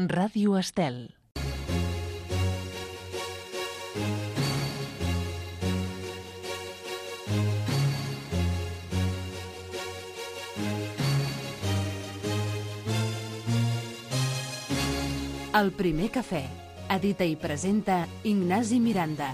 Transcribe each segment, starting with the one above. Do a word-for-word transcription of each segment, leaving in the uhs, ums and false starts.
Ràdio Estel. El primer cafè. Edita i presenta Ignasi Miranda.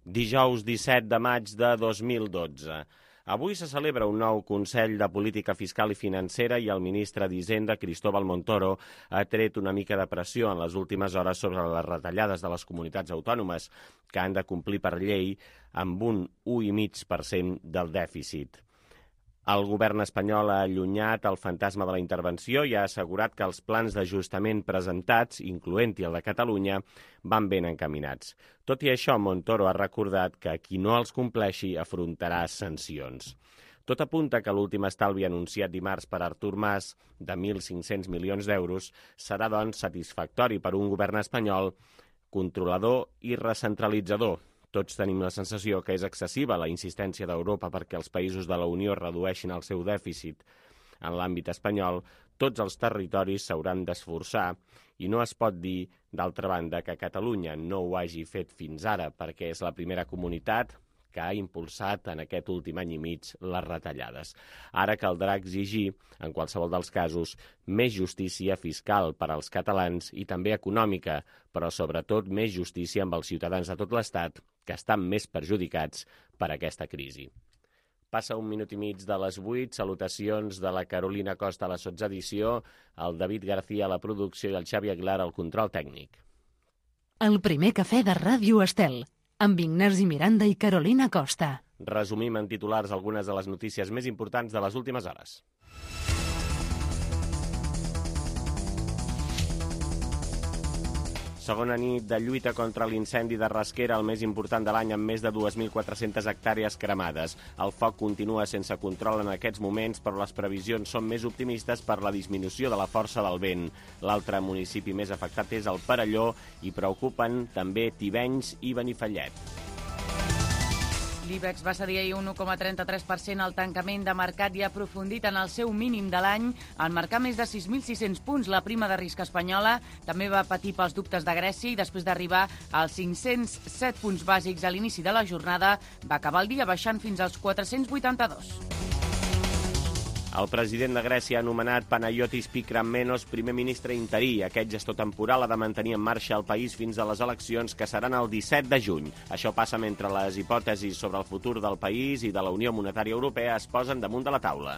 Dijous disset de maig de dos mil dotze. Avui se celebra un nou Consell de Política Fiscal i Financera i el ministre d'Hisenda, Cristóbal Montoro, ha tret una mica de pressió en les últimes hores sobre les retallades de les comunitats autònomes, que han de complir per llei amb un u coma cinc per cent del dèficit. El govern espanyol ha allunyat el fantasma de la intervenció i ha assegurat que els plans d'ajustament presentats, incloent-hi el de Catalunya, van ben encaminats. Tot i això, Montoro ha recordat que qui no els compleixi afrontarà sancions. Tot apunta que l'últim estalvi anunciat dimarts per Artur Mas, de mil cinc-cents milions d'euros, serà, doncs, satisfactori per un govern espanyol controlador i recentralitzador. Tots tenim la sensació que és excessiva la insistència d'Europa perquè els països de la Unió redueixin el seu dèficit. En l'àmbit espanyol, tots els territoris s'hauran d'esforçar i no es pot dir, d'altra banda, que Catalunya no ho hagi fet fins ara perquè és la primera comunitat que ha impulsat en aquest últim any i mig les retallades. Ara caldrà exigir, en qualsevol dels casos, més justícia fiscal per als catalans i també econòmica, però sobretot més justícia amb els ciutadans de tot l'Estat que estan més perjudicats per aquesta crisi. Passa un minut i mig de les vuit, salutacions de la Carolina Costa a la sotsedició, el David García a la producció i el Xavi Aguilar al control tècnic. El primer cafè de Ràdio Estel, amb Ignasi Miranda i Carolina Costa. Resumim en titulars algunes de les notícies més importants de les últimes hores. Segona nit de lluita contra l'incendi de Rasquera, el més important de l'any, amb més de dues mil quatre-centes hectàrees cremades. El foc continua sense control en aquests moments, però les previsions són més optimistes per la disminució de la força del vent. L'altre municipi més afectat és el Perelló i preocupen també Tivenys i Benifallet. L'IBEX va cedir ahir un u coma trenta-tres per cent al tancament de mercat i ha aprofundit en el seu mínim de l'any al marcar més de sis mil sis-cents punts. La prima de risc espanyola també va patir pels dubtes de Grècia i després d'arribar als cinc-cents set punts bàsics a l'inici de la jornada va acabar el dia baixant fins als quatre-cents vuitanta-dos. El president de Grècia ha anomenat Panayotis Pykrammenos primer ministre interí. Aquest gestor temporal ha de mantenir en marxa el país fins a les eleccions, que seran el disset de juny. Això passa mentre les hipòtesis sobre el futur del país i de la Unió Monetària Europea es posen damunt de la taula.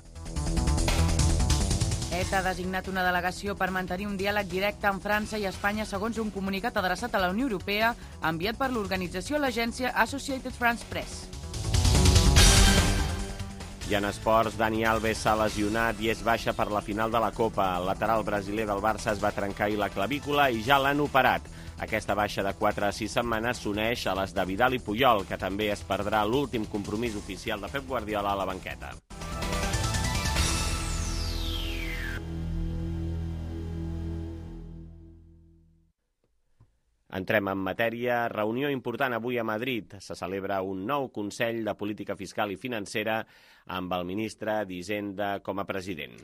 E T A ha designat una delegació per mantenir un diàleg directe amb França i Espanya, segons un comunicat adreçat a la Unió Europea enviat per l'organització a l'agència Associated France Press. I en esports, Dani Alves s'ha lesionat i és baixa per la final de la Copa. El lateral brasiler del Barça es va trencar ahir la clavícula i ja l'han operat. Aquesta baixa de quatre a sis setmanes s'uneix a les de Vidal i Puyol, que també es perdrà l'últim compromís oficial de Pep Guardiola a la banqueta. Entrem en matèria. Reunió important avui a Madrid. Se celebra un nou Consell de Política Fiscal i Financera amb el ministre d'Hisenda com a president.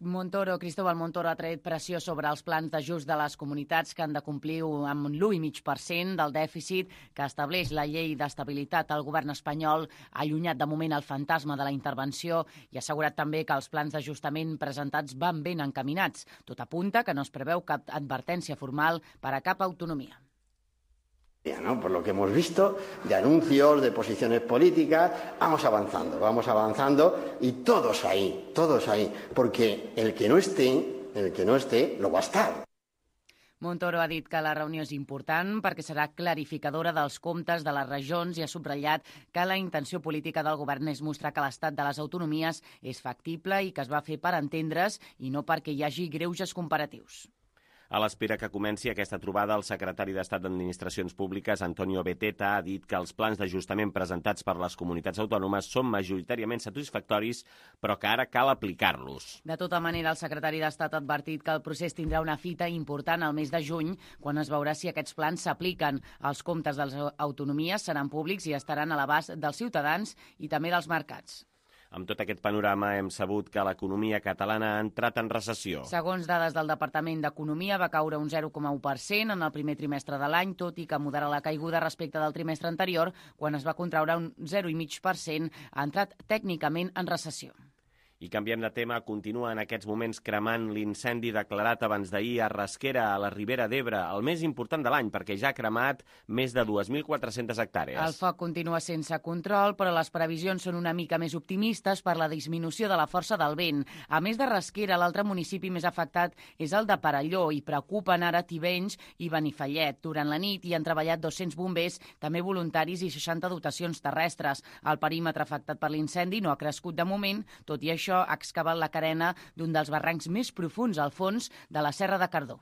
Montoro, Cristóbal Montoro ha tret pressió sobre els plans d'ajust de les comunitats que han de complir amb l'u coma cinc per cent del dèficit que estableix la llei d'estabilitat. El govern espanyol ha allunyat de moment el fantasma de la intervenció i ha assegurat també que els plans d'ajustament presentats van ben encaminats. Tot apunta que no es preveu cap advertència formal per a cap autonomia. ¿No? Por lo que hemos visto, de anuncios, de posiciones políticas, vamos avanzando, vamos avanzando y todos ahí, todos ahí, porque el que no esté, el que no esté, lo va a estar. Montoro ha dit que la reunió és important perquè serà clarificadora dels comptes de les regions i ha subratllat que la intenció política del govern és mostrar que l'estat de les autonomies és factible i que es va fer per entendre's i no perquè hi hagi greuges comparatius. A l'espera que comenci aquesta trobada, el secretari d'Estat d'Administracions Públiques, Antonio Beteta, ha dit que els plans d'ajustament presentats per les comunitats autònomes són majoritàriament satisfactoris, però que ara cal aplicar-los. De tota manera, el secretari d'Estat ha advertit que el procés tindrà una fita important al mes de juny, quan es veurà si aquests plans s'apliquen. Els comptes de les autonomies seran públics i estaran a l'abast dels ciutadans i també dels mercats. Amb tot aquest panorama hem sabut que l'economia catalana ha entrat en recessió. Segons dades del Departament d'Economia, va caure un zero coma u per cent en el primer trimestre de l'any, tot i que modera la caiguda respecte del trimestre anterior, quan es va contraure un zero coma cinc per cent, ha entrat tècnicament en recessió. I canviem de tema, continua en aquests moments cremant l'incendi declarat abans d'ahir a Rasquera, a la Ribera d'Ebre, el més important de l'any, perquè ja ha cremat més de dues mil quatre-centes hectàrees. El foc continua sense control, però les previsions són una mica més optimistes per la disminució de la força del vent. A més de Rasquera, l'altre municipi més afectat és el de Perelló, i preocupen ara Tivenys i Benifallet. Durant la nit hi han treballat dos-cents bombers, també voluntaris i seixanta dotacions terrestres. El perímetre afectat per l'incendi no ha crescut de moment, tot i això ha excavat la carena d'un dels barrancs més profuns al fons de la Serra de Cardó.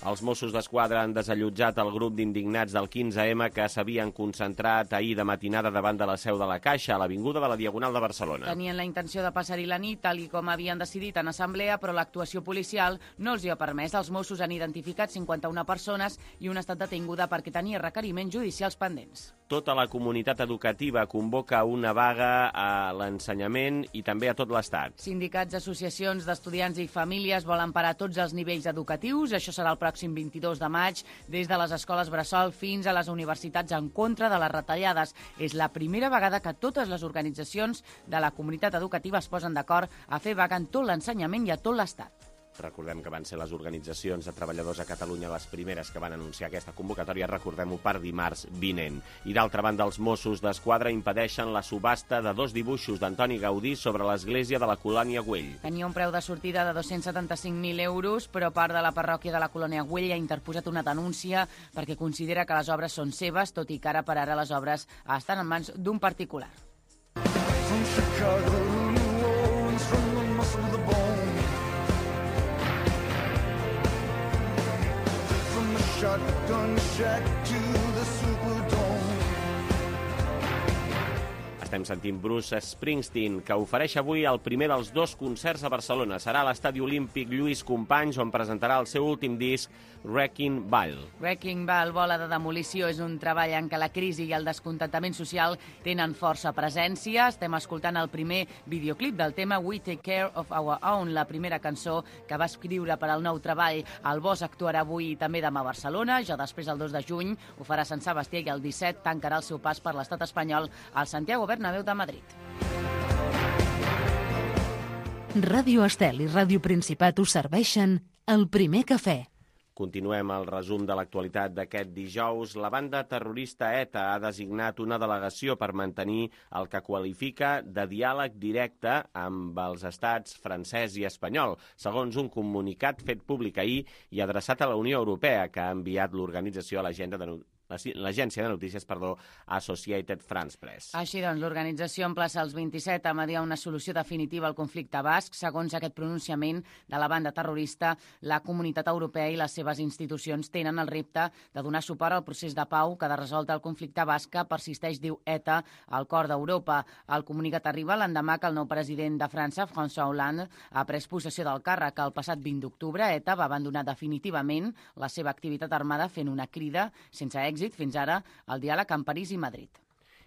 Els Mossos d'Esquadra han desallotjat el grup d'indignats del quinze ema que s'havien concentrat ahir de matinada davant de la seu de la Caixa, a l'avinguda de la Diagonal de Barcelona. Tenien la intenció de passar-hi la nit, tal i com havien decidit en assemblea, però l'actuació policial no els hi ha permès. Els Mossos han identificat cinquanta-una persones i una ha estat detinguda perquè tenia requeriments judicials pendents. Tota la comunitat educativa convoca una vaga a l'ensenyament i també a tot l'Estat. Sindicats, associacions d'estudiants i famílies volen parar tots els nivells educatius. Això serà el pròxim vint-i-dos de maig, des de les escoles bressol fins a les universitats, en contra de les retallades. És la primera vegada que totes les organitzacions de la comunitat educativa es posen d'acord a fer vaga en tot l'ensenyament i a tot l'Estat. Recordem que van ser les organitzacions de treballadors a Catalunya les primeres que van anunciar aquesta convocatòria, recordem-ho, per dimarts vinent. I d'altra banda, els Mossos d'Esquadra impedeixen la subhasta de dos dibuixos d'Antoni Gaudí sobre l'església de la Colònia Güell. Tenia un preu de sortida de dos-cents setanta-cinc mil euros, però part de la parròquia de la Colònia Güell ha interposat una denúncia perquè considera que les obres són seves, tot i que ara per ara les obres estan en mans d'un particular. From Chicago to New Orleans, from the muscle to the bone. Shotgun shack to the Superdome. Estem sentint Bruce Springsteen, que ofereix avui el primer dels dos concerts a Barcelona. Serà a l'Estadi Olímpic Lluís Companys, on presentarà el seu últim disc, Wrecking Ball. Wrecking Ball, bola de demolició, és un treball en què la crisi i el descontentament social tenen força presència. Estem escoltant el primer videoclip del tema We Take Care of Our Own, la primera cançó que va escriure per al nou treball. El Bosch actuarà avui i també demà a Barcelona, ja després el dos de juny ho farà a Sant Sebastià i el disset tancarà el seu pas per l'estat espanyol al Santiago Bernabéu de Madrid. Ràdio Estel i Ràdio Principat us serveixen el primer cafè. Continuem el resum de l'actualitat d'aquest dijous. La banda terrorista ETA ha designat una delegació per mantenir el que qualifica de diàleg directe amb els estats francès i espanyol, segons un comunicat fet públic ahir i adreçat a la Unió Europea, que ha enviat l'organització a l'agenda de l'agència de notícies, perdó, Associated France Press. Així doncs, l'organització emplaça els vint-i-set a mediar una solució definitiva al conflicte basc. Segons aquest pronunciament de la banda terrorista, la comunitat europea i les seves institucions tenen el repte de donar suport al procés de pau que de resoldre el conflicte basc que persisteix, diu ETA, al cor d'Europa. El comunicat arriba l'endemà que el nou president de França, François Hollande, ha pres possessió del càrrec. El passat vint d'octubre, ETA va abandonar definitivament la seva activitat armada fent una crida sense èxit fins ara al diàleg amb París i Madrid.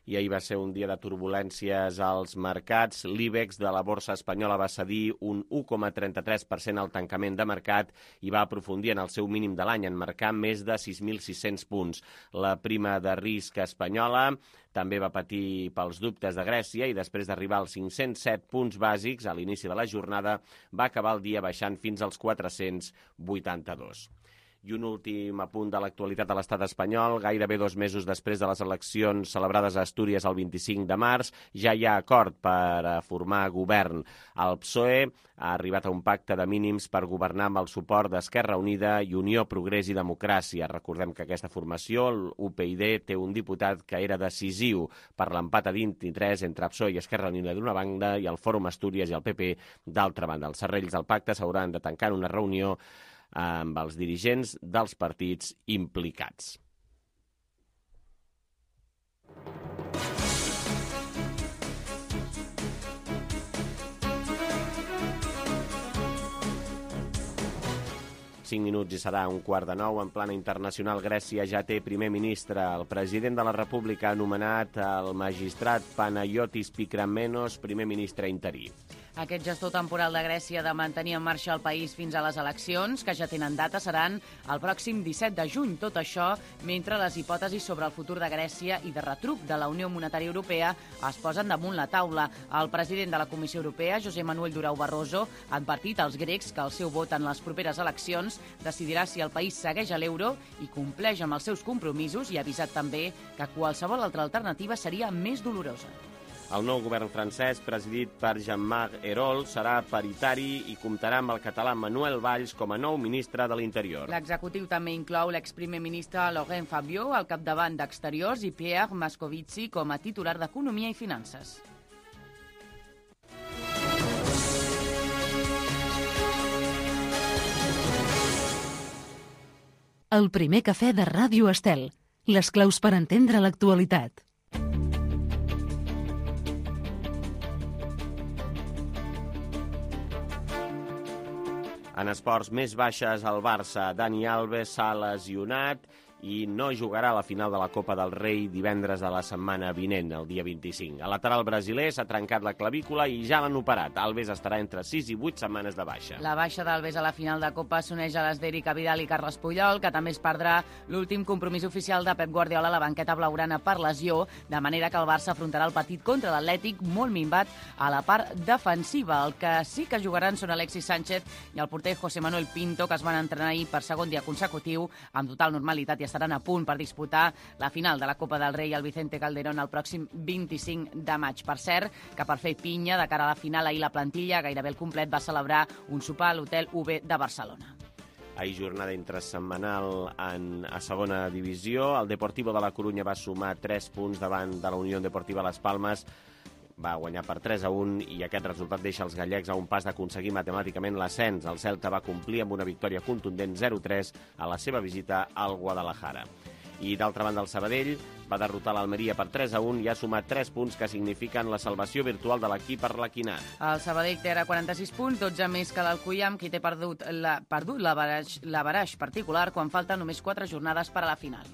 I ahir va ser un dia de turbulències als mercats. L'IBEX de la borsa espanyola va cedir un u coma trenta-tres per cent al tancament de mercat i va aprofundir en el seu mínim de l'any, en marcar més de sis mil sis-cents punts. La prima de risc espanyola també va patir pels dubtes de Grècia i després d'arribar als cinc-cents set punts bàsics a l'inici de la jornada va acabar el dia baixant fins als quatre-cents vuitanta-dos. I un últim apunt de l'actualitat de l'estat espanyol. Gairebé dos mesos després de les eleccions celebrades a Astúries el vint-i-cinc de març, ja hi ha acord per formar govern. El P S O E ha arribat a un pacte de mínims per governar amb el suport d'Esquerra Unida i Unió, Progrés i Democràcia. Recordem que aquesta formació, l'U P y D, té un diputat que era decisiu per l'empat a vint-i-tres entre P S O E i Esquerra Unida d'una banda i el Fòrum Astúries i el P P d'altra banda. Els serrells del pacte s'hauran de tancar en una reunió amb els dirigents dels partits implicats. cinc minuts i serà un quart de nou. En plana internacional, Grècia ja té primer ministre. El president de la República ha anomenat el magistrat Panayotis Pikramenos primer ministre interí. Aquest gestor temporal de Grècia de mantenir en marxa el país fins a les eleccions, que ja tenen data, seran el pròxim disset de juny. Tot això mentre les hipòtesis sobre el futur de Grècia i de retruc de la Unió Monetària Europea es posen damunt la taula. El president de la Comissió Europea, José Manuel Durão Barroso, ha advertit als grecs que el seu vot en les properes eleccions decidirà si el país segueix a l'euro i compleix amb els seus compromisos, i ha avisat també que qualsevol altra alternativa seria més dolorosa. El nou govern francès, presidit per Jean-Marc Ayrault, serà paritari i comptarà amb el català Manuel Valls com a nou ministre de l'Interior. L'executiu també inclou l'exprimer ministre Laurent Fabius al capdavant d'Exteriors i Pierre Moscovici com a titular d'Economia i Finances. El primer cafè de Ràdio Estel. Les claus per entendre l'actualitat. En esports, més baixes al Barça. Dani Alves s'ha lesionat i no jugarà a la final de la Copa del Rei divendres de la setmana vinent, el dia vint-i-cinc. El lateral brasiler s'ha trencat la clavícula i ja l'han operat. Alves estarà entre sis i vuit setmanes de baixa. La baixa d'Alves a la final de Copa s'uneix a les d'Eric Vidal i Carles Puyol, que també es perdrà l'últim compromís oficial de Pep Guardiola a la banqueta blaugrana per lesió, de manera que el Barça afrontarà el partit contra l'Atlètic molt minvat a la part defensiva. El que sí que jugaran són Alexis Sánchez i el porter José Manuel Pinto, que es van entrenar ahir per segon dia consecutiu amb total normalitat i estaran a punt per disputar la final de la Copa del Rei al Vicente Calderón el pròxim vint-i-cinc de maig. Per cert, que per fer pinya de cara a la final, ahir la plantilla gairebé al complet va celebrar un sopar a l'Hotel U B de Barcelona. Ahir jornada intrasetmanal en, a segona divisió. El Deportivo de la Corunya va sumar tres punts davant de la Unió Deportiva Las Palmas. Va guanyar per tres a un i aquest resultat deixa els gallecs a un pas d'aconseguir matemàticament l'ascens. El Celta va complir amb una victòria contundent zero tres a la seva visita al Guadalajara. I d'altra banda el Sabadell va derrotar l'Almeria per tres a un i ha sumat tres punts que signifiquen la salvació virtual de l'equip arlequinat. El Sabadell té ara quaranta-sis punts, dotze més que l'Alcoiam, qui té perdut la, perdut l'averaix particular quan falten només quatre jornades per a la final.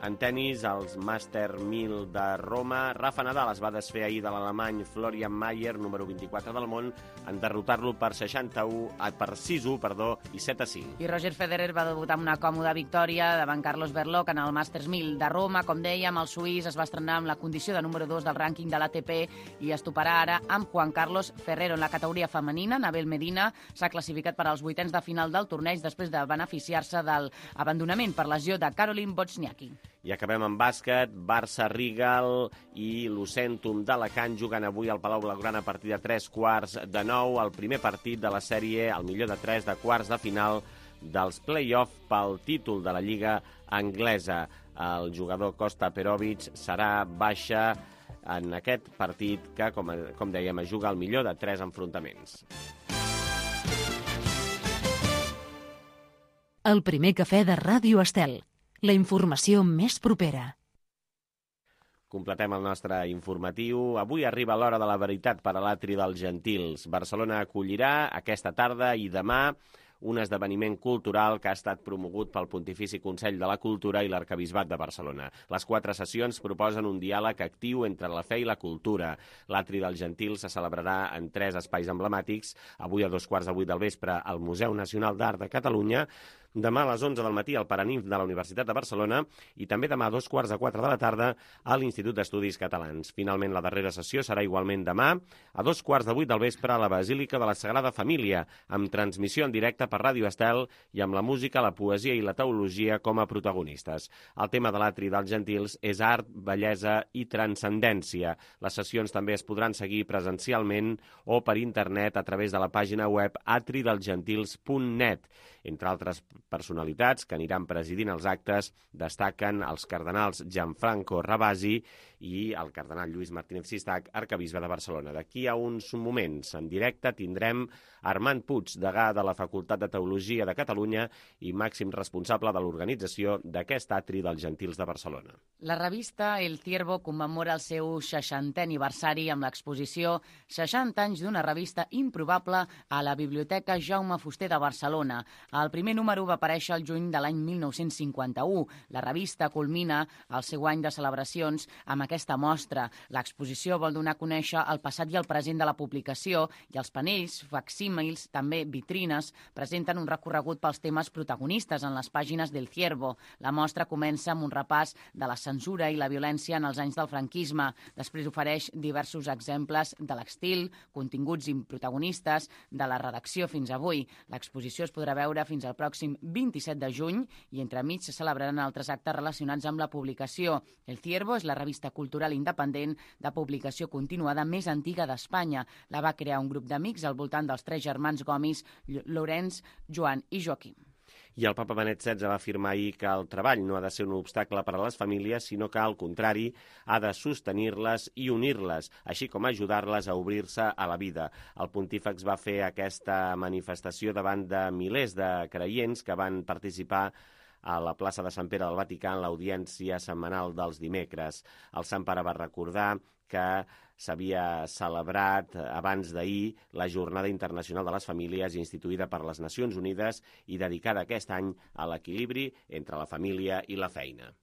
En tennis, els Master mil de Roma, Rafa Nadal es va desfer ahir de l'alemany Florian Mayer, número vint-i-quatre del món, en derrotar-lo per seixanta-u, per sis a u, perdó, i set a cinc. I Roger Federer va debutar amb una còmoda victòria davant Carlos Berlocq en el Masters mil de Roma. Com dèiem, el suís es va estrenar amb la condició de número dos del rànquing de l'A T P i es toparà ara amb Juan Carlos Ferrero. En la categoria femenina, Nabel Medina s'ha classificat per als vuitens de final del torneig després de beneficiar-se del abandonament per lesió de Caroline Wozniacki. I acabem amb bàsquet. Barça, Rigal i Lucentum d'Alacant jugant avui al Palau Blaugrana a partir de tres quarts de nou. El primer partit de la sèrie, el millor de tres de quarts de final dels play-off pel títol de la Lliga Anglesa. El jugador Kosta Perovic serà baixa en aquest partit que, com, com dèiem, es juga el millor de tres enfrontaments. El primer cafè de Ràdio Estel. La informació més propera. Completem el nostre informatiu. Avui arriba l'hora de la veritat per a l'Atri dels Gentils. Barcelona acollirà aquesta tarda i demà un esdeveniment cultural que ha estat promogut pel Pontifici Consell de la Cultura i l'Arquebisbat de Barcelona. Les quatre sessions proposen un diàleg actiu entre la fe i la cultura. L'Atri dels Gentils se celebrarà en tres espais emblemàtics, avui a dos quarts de vuit del vespre al Museu Nacional d'Art de Catalunya, demà a les onze del matí al Paranimf de la Universitat de Barcelona i també demà a dos quarts de quatre de la tarda a l'Institut d'Estudis Catalans. Finalment, la darrera sessió serà igualment demà a dos quarts de vuit del vespre a la Basílica de la Sagrada Família, amb transmissió en directe per Ràdio Estel i amb la música, la poesia i la teologia com a protagonistes. El tema de l'Atri dels Gentils és art, bellesa i transcendència. Les sessions també es podran seguir presencialment o per internet a través de la pàgina web atri dels gentils punt net. Entre altres personalitats que aniran presidint els actes destaquen els cardenals Gianfranco Ravasi i el cardenal Lluís Martínez Sistac, arquebisbe de Barcelona. D'aquí a uns moments, en directe, tindrem Armand Puig, degà de la Facultat de Teologia de Catalunya i màxim responsable de l'organització d'aquest Atri dels Gentils de Barcelona. La revista El Ciervo commemora el seu seixantè aniversari amb l'exposició seixanta anys d'una revista improbable a la Biblioteca Jaume Fuster de Barcelona. El primer número va va aparèixer el juny de l'any mil nou-cents cinquanta-u. La revista culmina el seu any de celebracions amb aquesta mostra. L'exposició vol donar a conèixer el passat i el present de la publicació i els panells, facsímils, també vitrines, presenten un recorregut pels temes protagonistes en les pàgines del Ciervo. La mostra comença amb un repàs de la censura i la violència en els anys del franquisme. Després ofereix diversos exemples de l'estil, continguts i protagonistes de la redacció fins avui. L'exposició es podrà veure fins al pròxim vint-i-set de juny i entremig se celebraran altres actes relacionats amb la publicació. El Ciervo és la revista cultural independent de publicació continuada més antiga d'Espanya. La va crear un grup d'amics al voltant dels tres germans Gomis, Llorenç, Joan i Joaquim. I el papa Benet setze va afirmar ahir que el treball no ha de ser un obstacle per a les famílies, sinó que, al contrari, ha de sostenir-les i unir-les, així com ajudar-les a obrir-se a la vida. El pontífex va fer aquesta manifestació davant de milers de creients que van participar a la plaça de Sant Pere del Vaticà en l'audiència setmanal dels dimecres. El Sant Pare va recordar que s'havia celebrat abans d'ahir la Jornada Internacional de les Famílies instituïda per les Nacions Unides i dedicada aquest any a l'equilibri entre la família i la feina.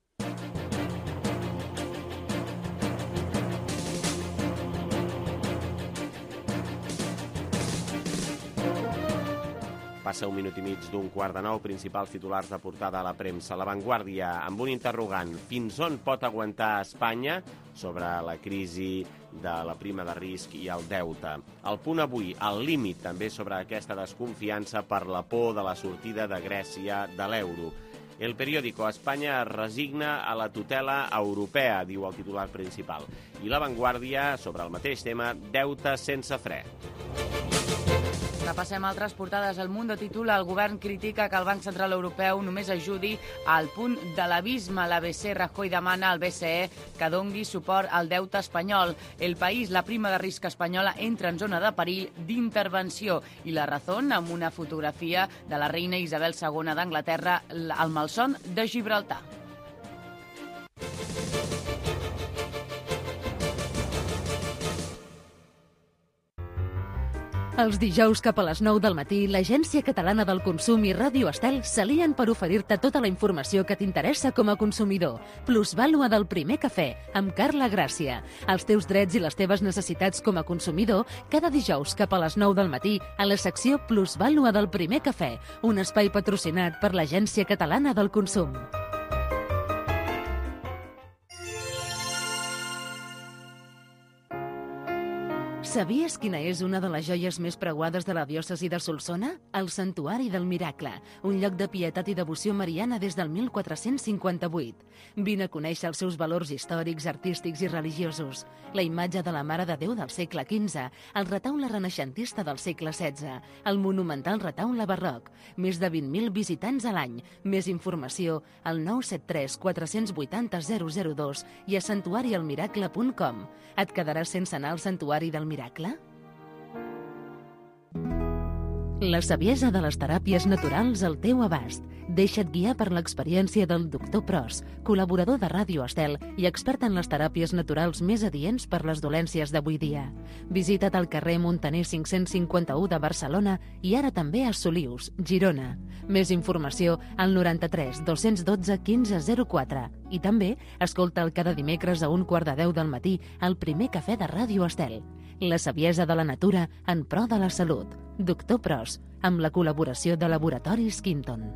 Passa un minut i mig d'un quart de nou, principals titulars de portada a la premsa. La Vanguardia, amb un interrogant, fins on pot aguantar Espanya sobre la crisi de la prima de risc i el deute. El Punt avui, al límit també sobre aquesta desconfiança per la por de la sortida de Grècia de l'euro. El periòdico, Espanya es resigna a la tutela europea, diu el titular principal. I La Vanguardia, sobre el mateix tema, deute sense fre. Repassem altres portades. El Mundo titula: el govern critica que el Banc Central Europeu només ajudi al punt de l'abisme. L'A B C, Rajoy demana al B C E que dongui suport al deute espanyol. El País, la prima de risc espanyola entra en zona de perill d'intervenció. I La Razón, amb una fotografia de la reina Isabel segona d'Anglaterra al malson de Gibraltar. Els dijous cap a les nou del matí, l'Agència Catalana del Consum i Ràdio Estel s'alien per oferir-te tota la informació que t'interessa com a consumidor. Plusvàlua del primer cafè, amb Carla Gràcia. Els teus drets i les teves necessitats com a consumidor, cada dijous cap a les nou del matí, a la secció Plusvàlua del primer cafè, un espai patrocinat per l'Agència Catalana del Consum. Sabies quina és una de les joies més preuades de la diòcesi de Solsona? El Santuari del Miracle, un lloc de pietat i devoció mariana des del mil quatre-cents cinquanta-vuit. Vine a conèixer els seus valors històrics, artístics i religiosos. La imatge de la Mare de Déu del segle quinze, el retaule renaixentista del segle setze, el monumental retaule barroc. Més de vint mil visitants a l'any. Més informació al nou set tres quatre vuit zero zero zero dos i a santuari el miracle punt com. Et quedaràs sense anar al Santuari del Miracle? La saviesa de les teràpies naturals al teu abast. Deixa't guiar per l'experiència del doctor Pros, col·laborador de Ràdio Estel i expert en les teràpies naturals més adients per les dolències d'avui dia. Visita't al carrer Montaner cinc-cents cinquanta-u de Barcelona i ara també a Solius, Girona. Més informació al noranta-tres dos-cents dotze quinze zero quatre. I també escolta'l cada dimecres a un quart de deu del matí al primer cafè de Ràdio Estel. La saviesa de la natura en pro de la salut. Doctor Pros, amb la col·laboració de Laboratoris Quinton.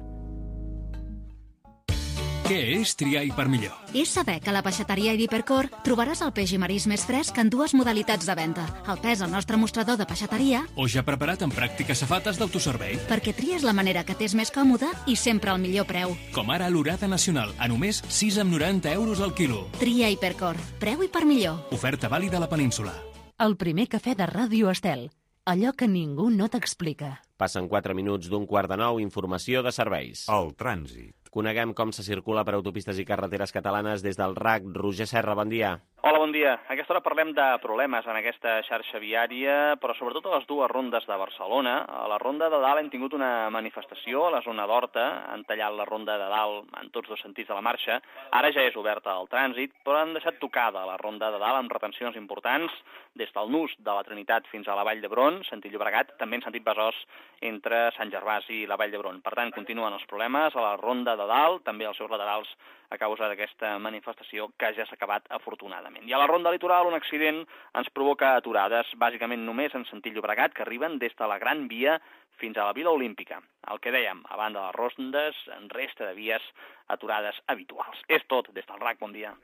Què és triar i per millor? És saber que a la peixateria i d'Hipercor trobaràs el peix i marís més fresc en dues modalitats de venda. El pes al nostre mostrador de peixateria O ja preparat en pràctiques safates d'autoservei. perquè tries la manera que t'és més còmoda i sempre al millor preu. Com ara l'orada nacional, a només sis coma noranta euros al quilo. Tria Hipercor. Preu i per millor. Oferta vàlida a la península. El primer cafè de Ràdio Estel. Allò que ningú no t'explica. Passen quatre minuts d'un quart de nou, informació de serveis. El trànsit. Coneguem com se circula per autopistes i carreteres catalanes des del R A C. Roger Serra, bon dia. Hola, bon dia. A aquesta hora parlem de problemes en aquesta xarxa viària, però sobretot a les dues rondes de Barcelona. A la ronda de dalt hem tingut una manifestació a la zona d'Horta, han tallat la ronda de dalt en tots dos sentits de la marxa. Ara ja és oberta al trànsit, però han deixat tocada la ronda de dalt amb retencions importants des del nus de la Trinitat fins a la Vall d'Hebron, sentit Llobregat, també en sentit Besòs entre Sant Gervasi i la Vall d'Hebron. Per tant, continuen els problemes a la ronda de dalt, també als seus laterals a causa d'aquesta manifestació que ja s'ha acabat afortunadament. I a la ronda litoral un accident ens provoca aturades, bàsicament només en sentit Llobregat, que arriben des de la Gran Via fins a la Vila Olímpica. El que dèiem, a banda de les rondes, en resta de vies aturades habituals. És tot des del R A C, bon dia.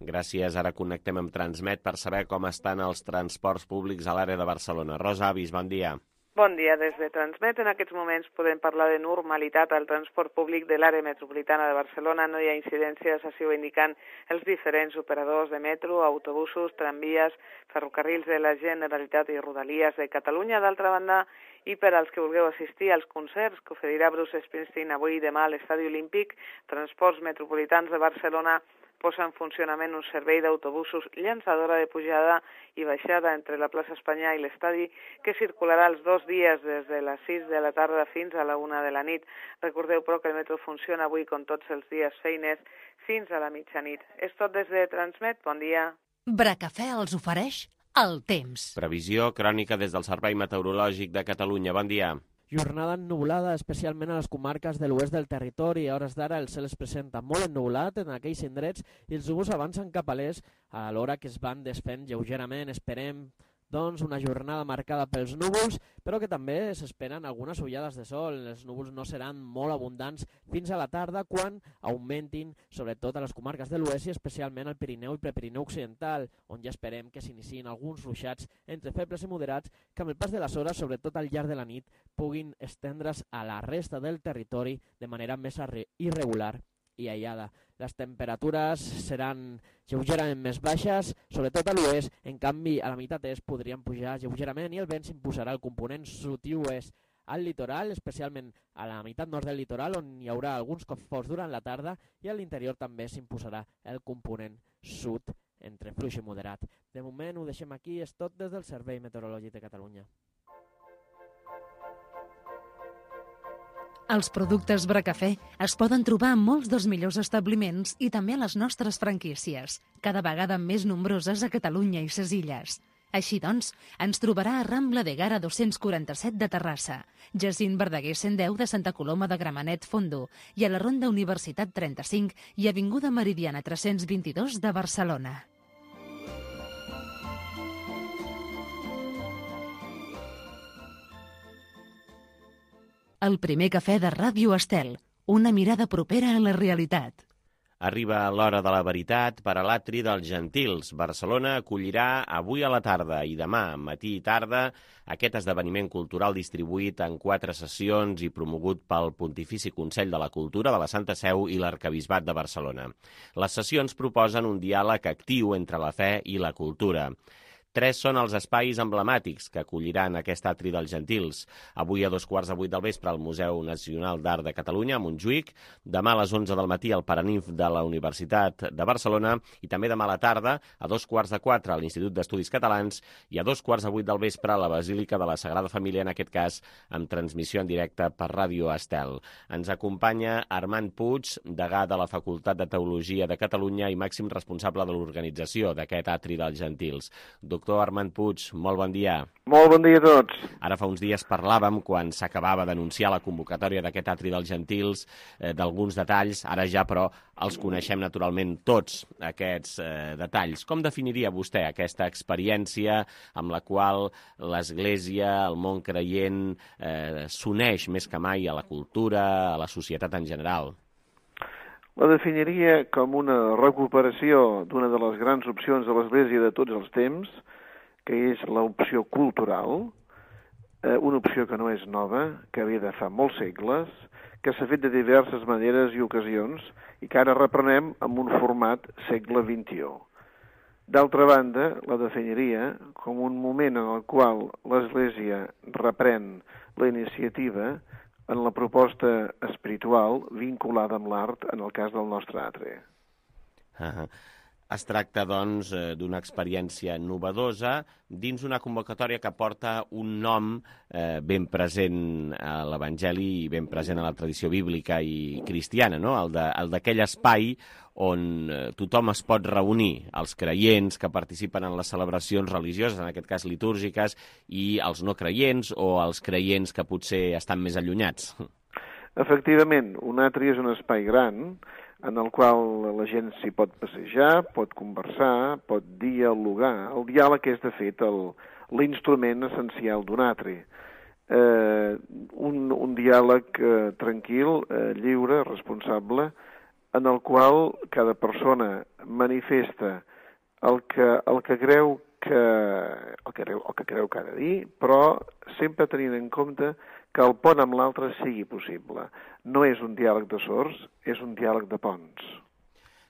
Gràcies. Ara connectem amb Transmet per saber com estan els transports públics a l'àrea de Barcelona. Rosa Avis, bon dia. Bon dia. Des de Transmet, en aquests moments podem parlar de normalitat al transport públic de l'àrea metropolitana de Barcelona. No hi ha incidències, així ho indiquen els diferents operadors de metro, autobusos, tramvies, ferrocarrils de la Generalitat i Rodalies de Catalunya. D'altra banda, i per als que vulgueu assistir als concerts que oferirà Bruce Springsteen avui i demà a l'Estadi Olímpic, Transports Metropolitans de Barcelona posa en funcionament un servei d'autobusos llançadora de pujada i baixada entre la plaça Espanya i l'estadi que circularà els dos dies des de les sis de la tarda fins a la una de la nit. Recordeu, però, que el metro funciona avui com tots els dies feines fins a la mitjanit. És tot des de Transmet. Bon dia. Bracafè els ofereix el temps. Previsió crònica des del Servei Meteorològic de Catalunya. Bon dia. Jornada ennuvolada, especialment a les comarques de l'oest del territori. A hores d'ara el cel es presenta molt ennuvolat en aquells indrets i els núvols avancen cap a l'est a l'hora que es van desfent lleugerament. Esperem doncs una jornada marcada pels núvols, però que també s'esperen algunes ullades de sol. Els núvols no seran molt abundants fins a la tarda, quan augmentin sobretot a les comarques de l'oest i especialment al Pirineu i Prepirineu Occidental, on ja esperem que s'iniciïn alguns ruixats entre febles i moderats que amb el pas de les hores, sobretot al llarg de la nit, puguin estendre's a la resta del territori de manera més irregular i aïllada. Les temperatures seran lleugerament més baixes, sobretot a l'oest. En canvi, a la meitat est podrien pujar lleugerament i el vent s'imposarà el component sud i oest al litoral, especialment a la meitat nord del litoral, on hi haurà alguns cops forts durant la tarda, i a l'interior també s'imposarà el component sud entre fluix i moderat. De moment ho deixem aquí, és tot des del Servei Meteorològic de Catalunya. Els productes Bracafè es poden trobar en molts dels millors establiments i també a les nostres franquícies, cada vegada més nombroses a Catalunya i ses Illes. Així doncs, ens trobarà a Rambla de Gara dos-cents quaranta-set de Terrassa, Jacint Verdaguer cent deu de Santa Coloma de Gramenet Fondo i a la Ronda Universitat trenta-cinc i Avinguda Meridiana tres-cents vint-i-dos de Barcelona. El primer cafè de Ràdio Estel, una mirada propera a la realitat. Arriba l'hora de la veritat per a l'atri dels Gentils. Barcelona acollirà avui a la tarda i demà, matí i tarda, aquest esdeveniment cultural distribuït en quatre sessions i promogut pel Pontifici Consell de la Cultura de la Santa Seu i l'Arquebisbat de Barcelona. Les sessions proposen un diàleg actiu entre la fe i la cultura. Tres són els espais emblemàtics que acolliran aquest atri dels Gentils. Avui a dos quarts de vuit del vespre al Museu Nacional d'Art de Catalunya, a Montjuïc, demà a les onze del matí al Paraninf de la Universitat de Barcelona i també demà a la tarda a dos quarts de quatre a l'Institut d'Estudis Catalans i a dos quarts de vuit del vespre a la Basílica de la Sagrada Família, en aquest cas amb transmissió en directe per Ràdio Estel. Ens acompanya Armand Puig, degà de la Facultat de Teologia de Catalunya i màxim responsable de l'organització d'aquest atri dels Gentils. Doctor Armand Puig, molt bon dia. Molt bon dia a tots. Ara fa uns dies parlàvem, quan s'acabava d'anunciar la convocatòria d'aquest atri dels Gentils, eh, d'alguns detalls. Ara ja, però, els coneixem naturalment tots, aquests eh, detalls. Com definiria vostè aquesta experiència amb la qual l'Església, el món creient, eh, s'uneix més que mai a la cultura, a la societat en general? La definiria com una recuperació d'una de les grans opcions de l'Església de tots els temps, que és l'opció cultural, eh, una opció que no és nova, que ve de fa molts segles, que s'ha fet de diverses maneres i ocasions i que ara reprenem amb un format segle vint-i-u. D'altra banda, la definiria com un moment en el qual l'Església reprèn la iniciativa en la proposta espiritual vinculada amb l'art, en el cas del nostre atri. Uh-huh. Es tracta, doncs, d'una experiència novedosa dins una convocatòria que porta un nom eh, ben present a l'Evangeli i ben present a la tradició bíblica i cristiana, no? El de, el d'aquell espai on eh, tothom es pot reunir, els creients que participen en les celebracions religioses, en aquest cas litúrgiques, i els no creients o els creients que potser estan més allunyats. Efectivament, un atri és un espai gran en el qual la gent s'hi pot passejar, pot conversar, pot dialogar. El diàleg és, de fet, l'instrument essencial d'un atri. Eh, un, un diàleg eh, tranquil, eh, lliure, responsable, en el qual cada persona manifesta el que, el que creu que, el que creu, el que creu que ha de dir, però sempre tenint en compte que el pont amb l'altre sigui possible. No és un diàleg de sords, és un diàleg de ponts.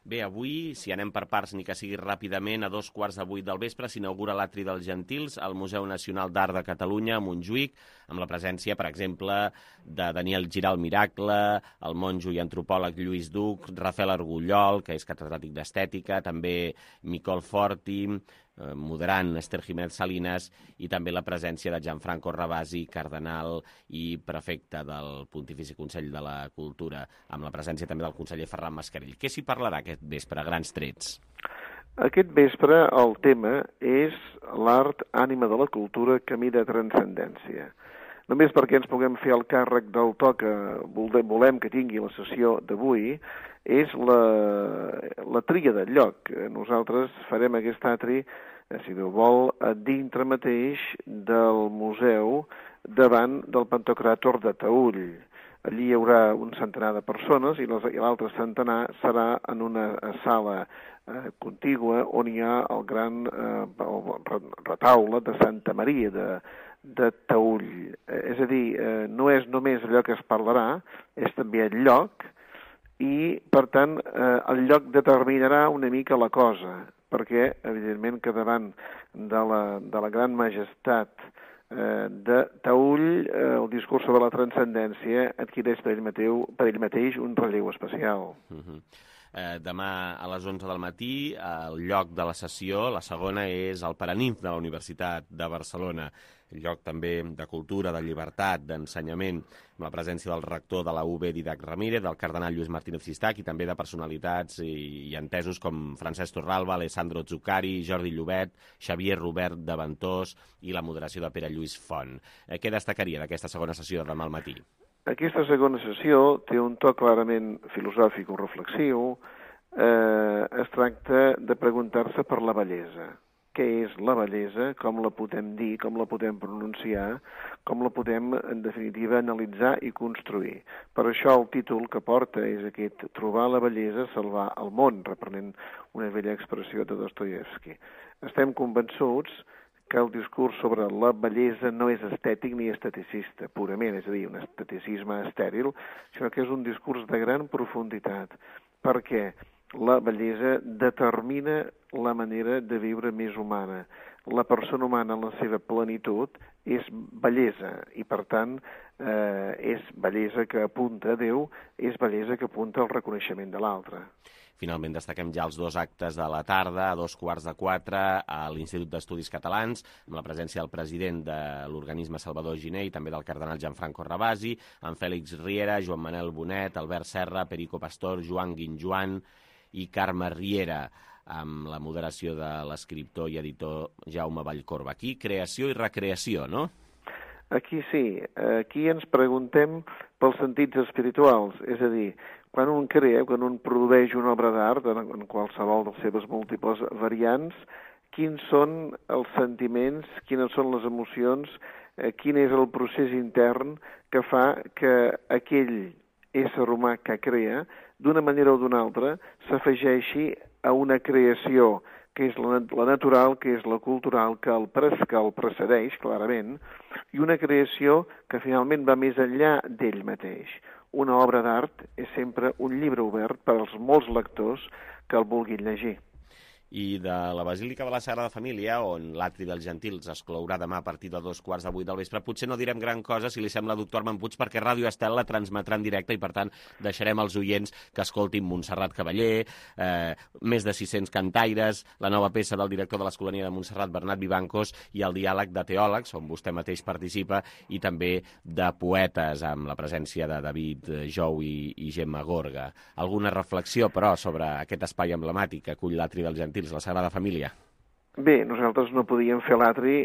Bé, avui, si anem per parts, ni que sigui ràpidament, a dos quarts de vuit del vespre s'inaugura l'Atri dels Gentils al Museu Nacional d'Art de Catalunya, a Montjuïc, amb la presència, per exemple, de Daniel Giral Miracle, el monjo i antropòleg Lluís Duc, Rafael Argullol, que és catedràtic d'Estètica, també Micol Forti, eh, moderant Esther Jiménez Salinas, i també la presència de Gianfranco Ravasi, cardenal i prefecte del Pontifici Consell de la Cultura, amb la presència també del conseller Ferran Mascarell. Què s'hi parlarà aquest vespre, a grans trets? Aquest vespre el tema és l'art, ànima de la cultura, camí de transcendència. Només perquè ens puguem fer el càrrec del to que volem que tingui la sessió d'avui, és la, la tria del lloc. Nosaltres farem aquest atri, si Déu vol, dintre mateix del museu, davant del Pantocràtor de Taüll. Allí hi haurà un centenar de persones i l'altre centenar serà en una sala eh, contigua on hi ha el gran eh, retaule de Santa Maria de, de Taüll. Eh, és a dir, eh, no és només allò que es parlarà, és també el lloc, i, per tant, eh, el lloc determinarà una mica la cosa, perquè, evidentment, que davant de la, de la gran majestat eh, de Taüll, eh, el discurs sobre la transcendència adquireix per ell, mateu, per ell mateix un relleu especial. Uh-huh. Eh, demà a les onze del matí, el lloc de la sessió, la segona, és el Paraninf de la Universitat de Barcelona, el lloc també de cultura, de llibertat, d'ensenyament, amb la presència del rector de la U B, Didac Ramírez, del cardenal Lluís Martínez Cistach, i també de personalitats i, i entesos com Francesc Torralba, Alessandro Zuccari, Jordi Llobet, Xavier Robert de Ventós i la moderació de Pere Lluís Font. Eh, què destacaria d'aquesta segona sessió de demà al matí? Aquesta segona sessió té un to clarament filosòfic o reflexiu. Eh, es tracta de preguntar-se per la bellesa. Què és la bellesa, com la podem dir, com la podem pronunciar, com la podem, en definitiva, analitzar i construir. Per això el títol que porta és aquest: trobar la bellesa, salvar el món, reprenent una vella expressió de Dostoievski. Estem convençuts que el discurs sobre la bellesa no és estètic ni esteticista, purament, és a dir, un esteticisme estèril, sinó que és un discurs de gran profunditat, perquè la bellesa determina la manera de viure més humana. La persona humana en la seva plenitud és bellesa i, per tant, eh, és bellesa que apunta a Déu, és bellesa que apunta al reconeixement de l'altre. Finalment destaquem ja els dos actes de la tarda, a dos quarts de quatre, a l'Institut d'Estudis Catalans, amb la presència del president de l'organisme Salvador Giner i també del cardenal Gianfranco Ravasi, amb Fèlix Riera, Joan Manel Bonet, Albert Serra, Perico Pastor, Joan Guinjoan i Carme Riera, amb la moderació de l'escriptor i editor Jaume Vallcorba. Aquí, creació i recreació, no? Aquí sí. Aquí ens preguntem pels sentits espirituals, és a dir, quan un crea, quan un produeix una obra d'art, en qualsevol de les seves múltiples variants, quins són els sentiments, quines són les emocions, eh, quin és el procés intern que fa que aquell ésser humà que crea, d'una manera o d'una altra, s'afegeixi a una creació que és la, la natural, que és la cultural, que el, pres, que el precedeix, clarament, i una creació que finalment va més enllà d'ell mateix. Una obra d'art és sempre un llibre obert per als molts lectors que el vulguin llegir. i de la Basílica de la Sagrada Família, on l'atri dels Gentils es clourà demà a partir de dos quarts de vuit del vespre. Potser no direm gran cosa, si li sembla, doctor Armand Puig, perquè Ràdio Estel la transmetrà en directe i, per tant, deixarem als oients que escoltin Montserrat Cavaller, eh, més de sis-cents cantaires, la nova peça del director de l'Escolania de Montserrat, Bernat Vivancos, i el diàleg de teòlegs, on vostè mateix participa, i també de poetes, amb la presència de David Jou i, i Gemma Gorga. Alguna reflexió, però, sobre aquest espai emblemàtic que acull l'atri dels Gentils, la Sagrada Família? Bé, nosaltres no podíem fer l'atri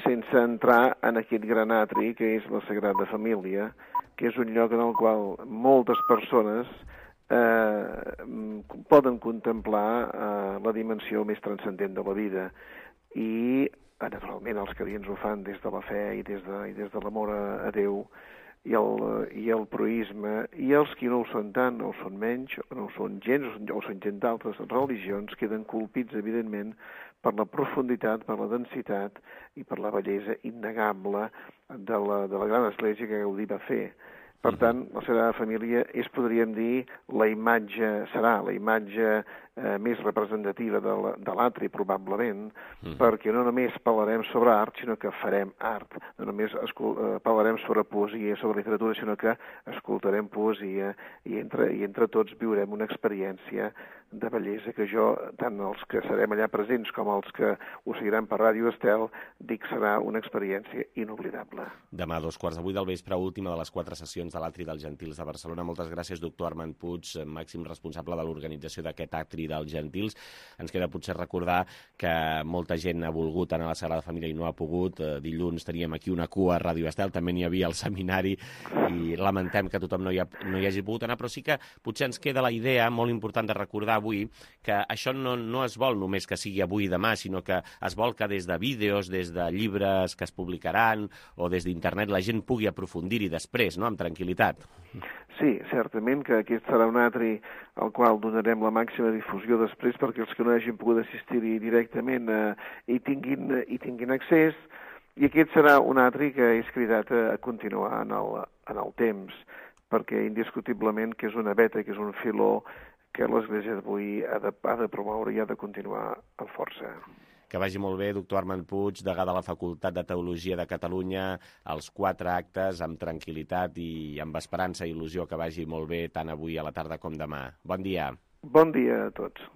sense entrar en aquest gran atri que és la Sagrada Família, que és un lloc en el qual moltes persones eh, poden contemplar eh, la dimensió més transcendent de la vida. I, naturalment, els cadins ho fan des de la fe i des de, i des de l'amor a, a Déu, i el, i el proïsme, i els qui no ho són tant, no ho són menys, o no ho són gens, o són gent d'altres religions, queden colpits, evidentment, per la profunditat, per la densitat i per la bellesa innegable de la, de la gran església que Gaudí va fer. Per tant, la Sagrada Família és, podríem dir, la imatge, serà la imatge eh, més representativa de l'atri, probablement, mm. perquè no només parlarem sobre art, sinó que farem art. No només eh, parlarem sobre poesia, sobre literatura, sinó que escoltarem poesia i entre, i entre tots viurem una experiència de bellesa que jo, tant els que serem allà presents com els que ho seguiran per Ràdio Estel, dic serà una experiència inoblidable. Demà, a dos quarts de vuit del vespre, última de les quatre sessions de l'Atri dels Gentils de Barcelona. Moltes gràcies, doctor Armand Puig, màxim responsable de l'organització d'aquest Atri dels Gentils. Ens queda potser recordar que molta gent ha volgut anar a la Sagrada Família i no ha pogut. Dilluns teníem aquí una cua a Ràdio Estel, també n'hi havia al seminari i lamentem que tothom no hi, ha, no hi hagi pogut anar, però sí que potser ens queda la idea molt important de recordar avui que això no, no es vol només que sigui avui i demà, sinó que es vol que des de vídeos, des de llibres que es publicaran o des d'internet la gent pugui aprofundir-hi després, no?, amb tranquil·litat. Sí, certament que aquest serà un atri al qual donarem la màxima difusió després perquè els que no hagin pogut assistir-hi directament eh, hi, tinguin, hi tinguin accés, i aquest serà un atri que és cridat a continuar en el, en el temps, perquè indiscutiblement que és una veta, que és un filó que l'Església d'avui ha, de, ha de promoure i ha de continuar amb força. Que vagi molt bé, doctor Armand Puig, degà de la Facultat de Teologia de Catalunya, els quatre actes amb tranquil·litat i amb esperança i il·lusió, que vagi molt bé tant avui a la tarda com demà. Bon dia. Bon dia a tots.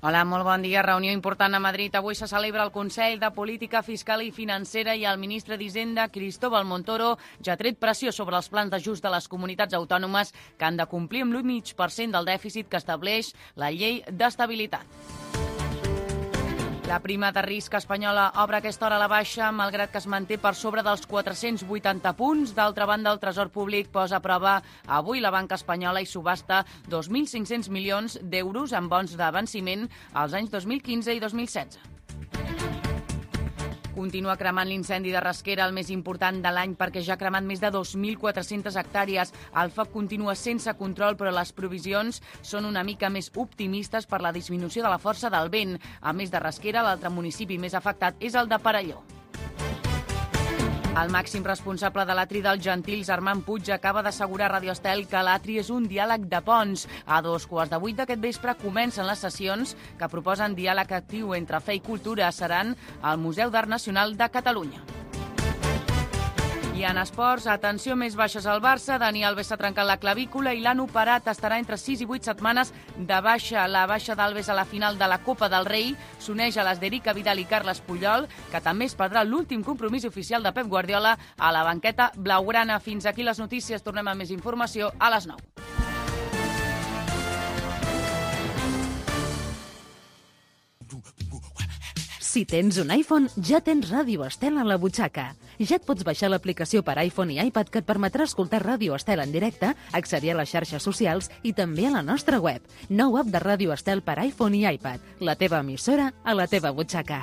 Hola, molt bon dia. Reunió important a Madrid. Avui se celebra el Consell de Política Fiscal i Financera i el ministre d'Hisenda, Cristóbal Montoro, ja ha tret pressió sobre els plans d'ajust de les comunitats autònomes que han de complir amb l'u coma cinc per cent del dèficit que estableix la llei d'estabilitat. La prima de risc espanyola obre aquesta hora a la baixa, malgrat que es manté per sobre dels quatre-cents vuitanta punts. D'altra banda, el Tresor Públic posa a prova avui la banca espanyola i subhasta dos mil cinc-cents milions d'euros en bons de venciment als anys dos mil quinze i dos mil setze. Continua cremant l'incendi de Rasquera, el més important de l'any, perquè ja ha cremat més de dos mil quatre-centes hectàrees. El foc continua sense control, però les provisions són una mica més optimistes per la disminució de la força del vent. A més de Rasquera, l'altre municipi més afectat és el de Perelló. El màxim responsable de l'Atri dels Gentils, Armand Puig, acaba d'assegurar a Ràdio Estel que l'Atri és un diàleg de ponts. A dos quarts de vuit d'aquest vespre comencen les sessions que proposen diàleg actiu entre fe i cultura. Seran al Museu d'Art Nacional de Catalunya. I en esports, atenció, més baixes al Barça. Dani Alves s'ha trencat la clavícula i l'han operat. Estarà entre sis i vuit setmanes de baixa. La baixa d'Alves a la final de la Copa del Rei s'uneix a les d'Erica Vidal i Carles Puyol, que també es perdrà l'últim compromís oficial de Pep Guardiola a la banqueta blaugrana. Fins aquí les notícies. Tornem amb més informació a les nou. Si tens un iPhone, ja tens Ràdio Estel a la butxaca. Ja et pots baixar l'aplicació per iPhone i iPad que et permetrà escoltar Ràdio Estel en directe, accedir a les xarxes socials i també a la nostra web. Nou app de Ràdio Estel per iPhone i iPad. La teva emissora a la teva butxaca.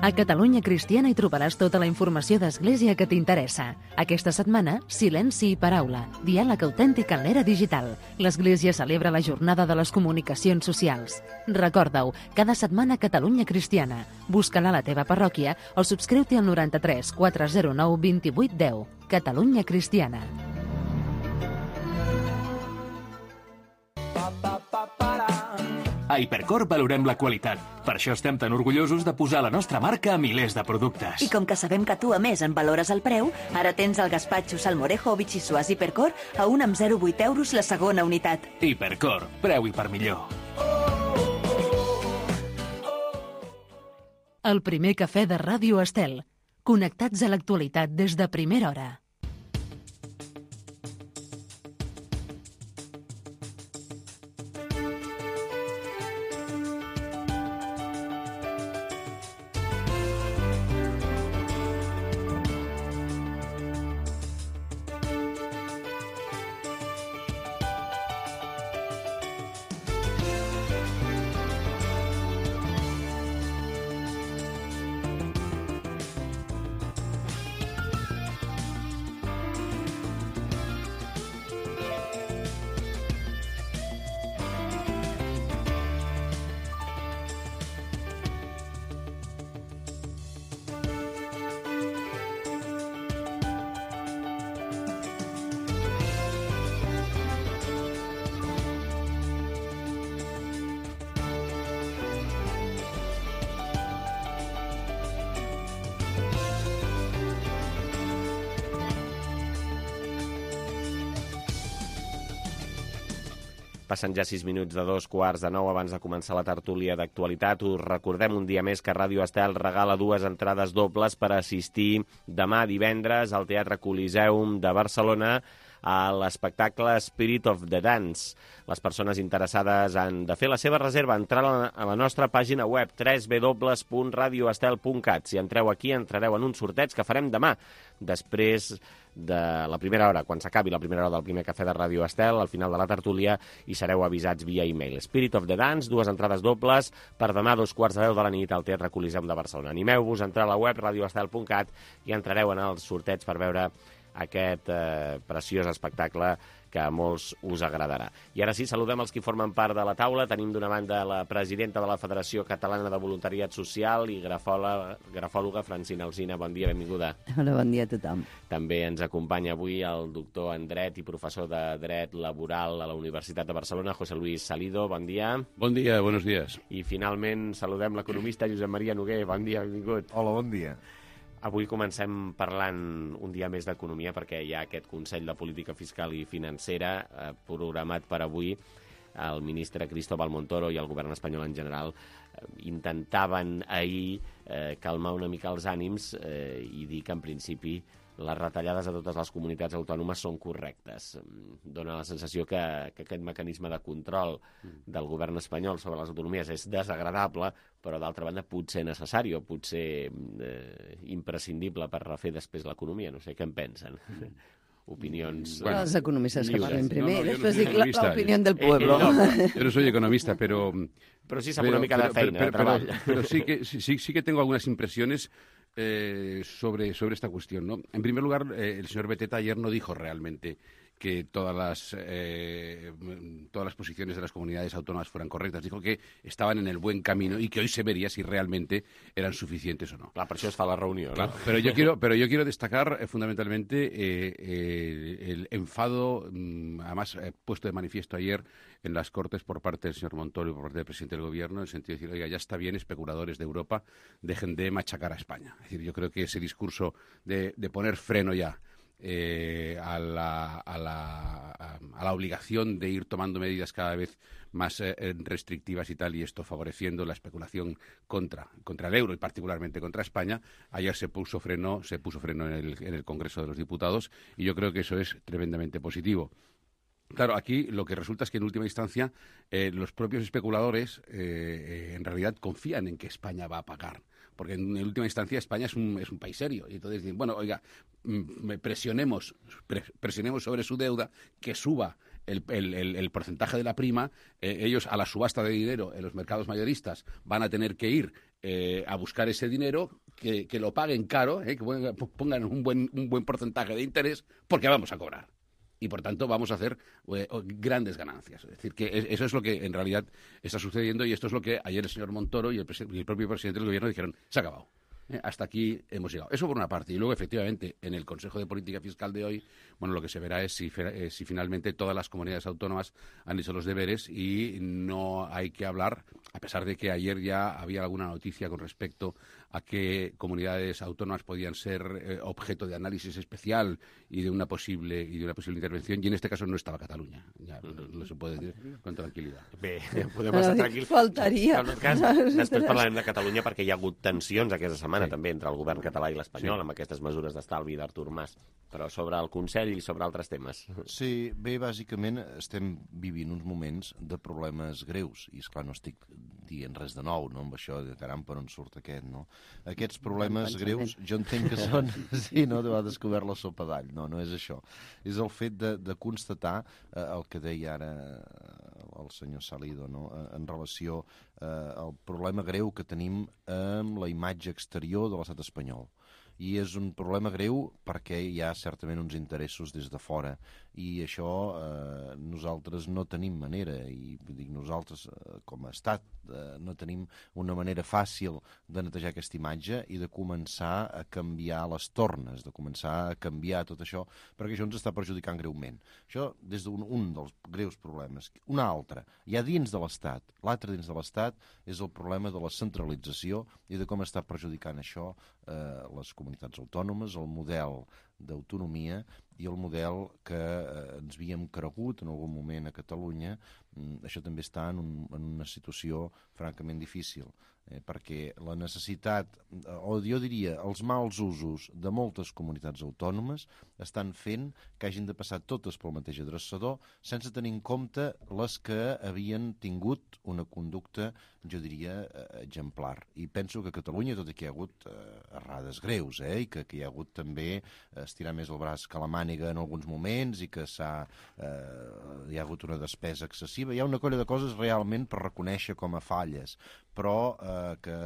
A Catalunya Cristiana hi trobaràs tota la informació d'Església que t'interessa. Aquesta setmana, Silenci i Paraula, diàleg autèntic en l'era digital. L'Església celebra la jornada de les comunicacions socials. Recorda-ho, cada setmana Catalunya Cristiana. Busca-la a la teva parròquia o subscriu-t'hi al noranta-tres quatre zero nou vint vuit deu. Catalunya Cristiana. A Hipercor valorem la qualitat. Per això estem tan orgullosos de posar la nostra marca a milers de productes. I com que sabem que tu, a més, en valores el preu, ara tens el gaspatxo salmorejo o bitxissuàs Hipercor a un amb zero coma vuit euros la segona unitat. Hipercor, preu i per millor. El primer cafè de Ràdio Estel. Connectats a l'actualitat des de primera hora. Passen ja sis minuts de dos quarts de nou abans de començar la tertúlia d'actualitat. Us recordem un dia més que Ràdio Estel regala dues entrades dobles per assistir demà divendres al Teatre Coliseum de Barcelona a l'espectacle Spirit of the Dance. Les persones interessades han de fer la seva reserva, entrar a la nostra pàgina web w w w punt radio estel punt cat. Si entreu aquí, entrareu en un sorteig que farem demà, després de la primera hora, quan s'acabi la primera hora del primer cafè de Ràdio Estel, al final de la tertúlia, i sereu avisats via e-mail. Spirit of the Dance, dues entrades dobles per demà a dos quarts de deu de la nit al Teatre Coliseum de Barcelona. Animeu-vos a entrar a la web radio estel punt cat i entrareu en el sorteig per veure aquest eh, preciós espectacle que a molts us agradarà. I ara sí, saludem els que formen part de la taula. Tenim d'una banda la presidenta de la Federació Catalana de Voluntariat Social i grafòloga, grafòloga Francina Alsina. Bon dia, benvinguda. Hola, bon dia a tothom. També ens acompanya avui el doctor en Dret i professor de Dret Laboral a la Universitat de Barcelona, José Luis Salido. Bon dia. Bon dia, buenos días. I finalment saludem l'economista Josep Maria Noguer. Bon dia, benvingut. Hola, bon dia. Avui comencem parlant un dia més d'economia perquè hi ha aquest Consell de Política Fiscal i Financera eh, programat per avui. El ministre Cristóbal Montoro i el govern espanyol en general eh, intentaven ahir eh, calmar una mica els ànims eh, i dir que en principi les retallades a totes les comunitats autònomes són correctes. Dóna la sensació que, que aquest mecanisme de control del govern espanyol sobre les autonomies és desagradable, però d'altra banda potser necessari o potser eh, imprescindible per refer després l'economia. No sé què en pensen. Opinions... Bueno, los economistas que parlen primer, no, no, después no dic la, la opinión del pueblo. Eh, no, yo no soy economista, pero... Pero sí sabe una mica de feina, pero, de treball. Pero, pero sí, que, sí, sí que tengo algunas impresiones eh, sobre, sobre esta cuestión, ¿no? En primer lugar, eh, el señor Beteta ayer no dijo realmente que todas las, eh, todas las posiciones de las comunidades autónomas fueran correctas. Dijo que estaban en el buen camino y que hoy se vería si realmente eran suficientes o no. Clar, per això es fa la reunió, claro, ¿no? Pero yo quiero, pero yo quiero destacar eh, fundamentalmente eh, eh, el enfado, mm, además eh, puesto de manifiesto ayer en las Cortes por parte del señor Montoro y por parte del presidente del Gobierno, en el sentido de decir, oiga, ya está bien, especuladores de Europa, dejen de machacar a España. Es decir, yo creo que ese discurso de, de poner freno ya Eh, a, la, a, la, a la obligación de ir tomando medidas cada vez más eh, restrictivas y tal, y esto favoreciendo la especulación contra, contra el euro y particularmente contra España. Ayer se puso freno, se puso freno en el, en el Congreso de los Diputados y yo creo que eso es tremendamente positivo. Claro, aquí lo que resulta es que en última instancia eh, los propios especuladores eh, eh, en realidad confían en que España va a pagar. Porque en última instancia España es un, es un país serio. Y entonces dicen, bueno, oiga, presionemos, presionemos sobre su deuda, que suba el, el, el, el porcentaje de la prima, eh, ellos a la subasta de dinero en los mercados mayoristas van a tener que ir eh, a buscar ese dinero, que, que lo paguen caro, eh, que pongan un buen, un buen porcentaje de interés, porque vamos a cobrar. Y, por tanto, vamos a hacer eh, grandes ganancias. Es decir, que eso es lo que en realidad está sucediendo y esto es lo que ayer el señor Montoro y el, y el propio presidente del Gobierno dijeron, se ha acabado. Eh, hasta aquí hemos llegado. Eso por una parte. Y luego, efectivamente, en el Consejo de Política Fiscal de hoy, bueno, lo que se verá es si, eh, si finalmente todas las comunidades autónomas han hecho los deberes y no hay que hablar, a pesar de que ayer ya había alguna noticia con respecto a qué comunidades autónomas podían ser eh, objeto de análisis especial y de una posible y de una posible intervención, y en este caso no estava Catalunya. Ja no, no se pot dir con tranquil·litat. Bé, podem estar tranquils. Faltaria. En tot cas, després parlarem de Catalunya perquè hi ha hagut tensions aquesta setmana sí. també entre el govern català i l'espanyol sí. amb aquestes mesures d'estalvi d'Artur Mas. Però sobre el Consell i sobre altres temes. Sí, bé, bàsicament estem vivint uns moments de problemes greus i, esclar, no estic dient res de nou, no?, amb això de caram, per on surt aquest, no? Aquests problemes greus, jo entenc que són... Sí, no?, de descobert la sopa d'all. No, no és això. És el fet de, de constatar eh, el que deia ara el senyor Salido, no?, en relació eh, al problema greu que tenim amb la imatge exterior de l'estat espanyol. I és un problema greu perquè hi ha certament uns interessos des de fora i això eh, nosaltres no tenim manera, i dic nosaltres eh, com a estat eh, no tenim una manera fàcil de netejar aquesta imatge i de començar a canviar les tornes, de començar a canviar tot això, perquè això ens està perjudicant greument. Això des d'un un dels greus problemes. Un altre, hi ha dins de l'Estat, l'altre dins de l'Estat és el problema de la centralització i de com està perjudicant això eh, les comunitats autònomes, el model d'autonomia i el model que eh, ens havíem cregut en algun moment a Catalunya. Això també està en, un, en una situació francament difícil, eh, perquè la necessitat, o jo diria els mals usos de moltes comunitats autònomes estan fent que hagin de passar totes pel mateix adreçador sense tenir en compte les que havien tingut una conducta, jo diria, eh, exemplar. I penso que a Catalunya, tot i que hi ha hagut eh, errades greus, eh, i que, que hi ha hagut també estirar més el braç que la màniga en alguns moments i que s'ha eh, hi ha hagut una despesa excessiva, hi ha una colla de coses realment per reconèixer com a falles, però eh, que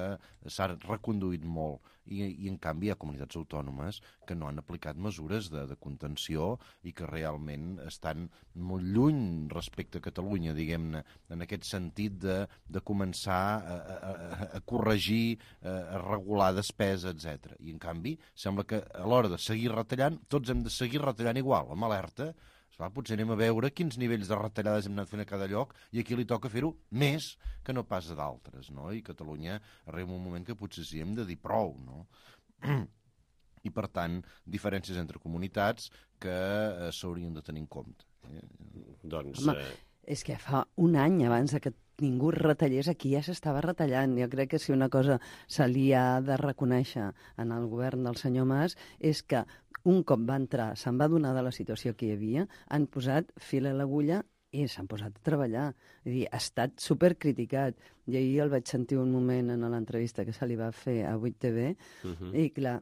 s'ha reconduït molt. I, i en canvi hi ha comunitats autònomes que no han aplicat mesures de, de contenció i que realment estan molt lluny respecte a Catalunya, diguem-ne, en aquest sentit de, de començar a, a, a corregir, a regular despesa, etcètera. I en canvi sembla que a l'hora de seguir retallant, tots hem de seguir retallant igual, amb alerta. Esclar, potser anem a veure quins nivells de retallades hem anat fent a cada lloc i aquí li toca fer-ho més que no pas a d'altres, no? I Catalunya arriba un moment que potser sí hem de dir prou, no? I, per tant, diferències entre comunitats que eh, s'haurien de tenir en compte. Eh? Doncs... Home, eh... és que fa un any abans que ningú retallés, aquí ja s'estava retallant. Jo crec que si una cosa se li ha de reconèixer en el govern del senyor Mas és que un cop va entrar, se'n va adonar de la situació que hi havia, han posat fil a l'agulla i s'han posat a treballar. Vull dir, ha estat supercriticat. I ahir el vaig sentir un moment en l'entrevista que se li va fer a vuit T V uh-huh. i clar,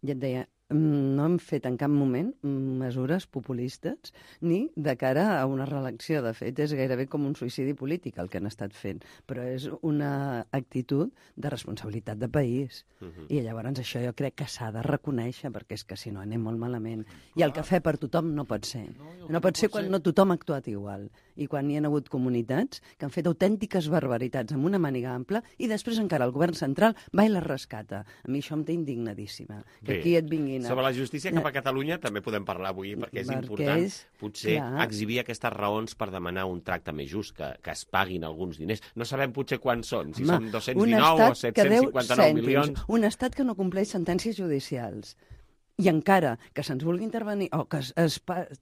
ja et deia, no hem fet en cap moment mesures populistes ni de cara a una reelecció. De fet, és gairebé com un suïcidi polític el que han estat fent, però és una actitud de responsabilitat de país. Uh-huh. I llavors això jo crec que s'ha de reconèixer, perquè és que si no anem molt malament. I el cafè per tothom no pot ser. No, no pot ser quan no tothom ha actuat igual. I quan hi ha hagut comunitats que han fet autèntiques barbaritats amb una màniga ampla i després encara el govern central va i les rescata. A mi això em té indignadíssima. Que Bé. aquí et vinguin... Sobre la justícia cap a Catalunya també podem parlar avui, perquè és perquè important és... potser clar. exhibir aquestes raons per demanar un tracte més just, que, que es paguin alguns diners. No sabem potser quants són, si Home, són dos-cents dinou o set-cents cinquanta-nou milions. Un estat que no compleix sentències judicials. I encara que se'ns vulgui intervenir, o que es, es,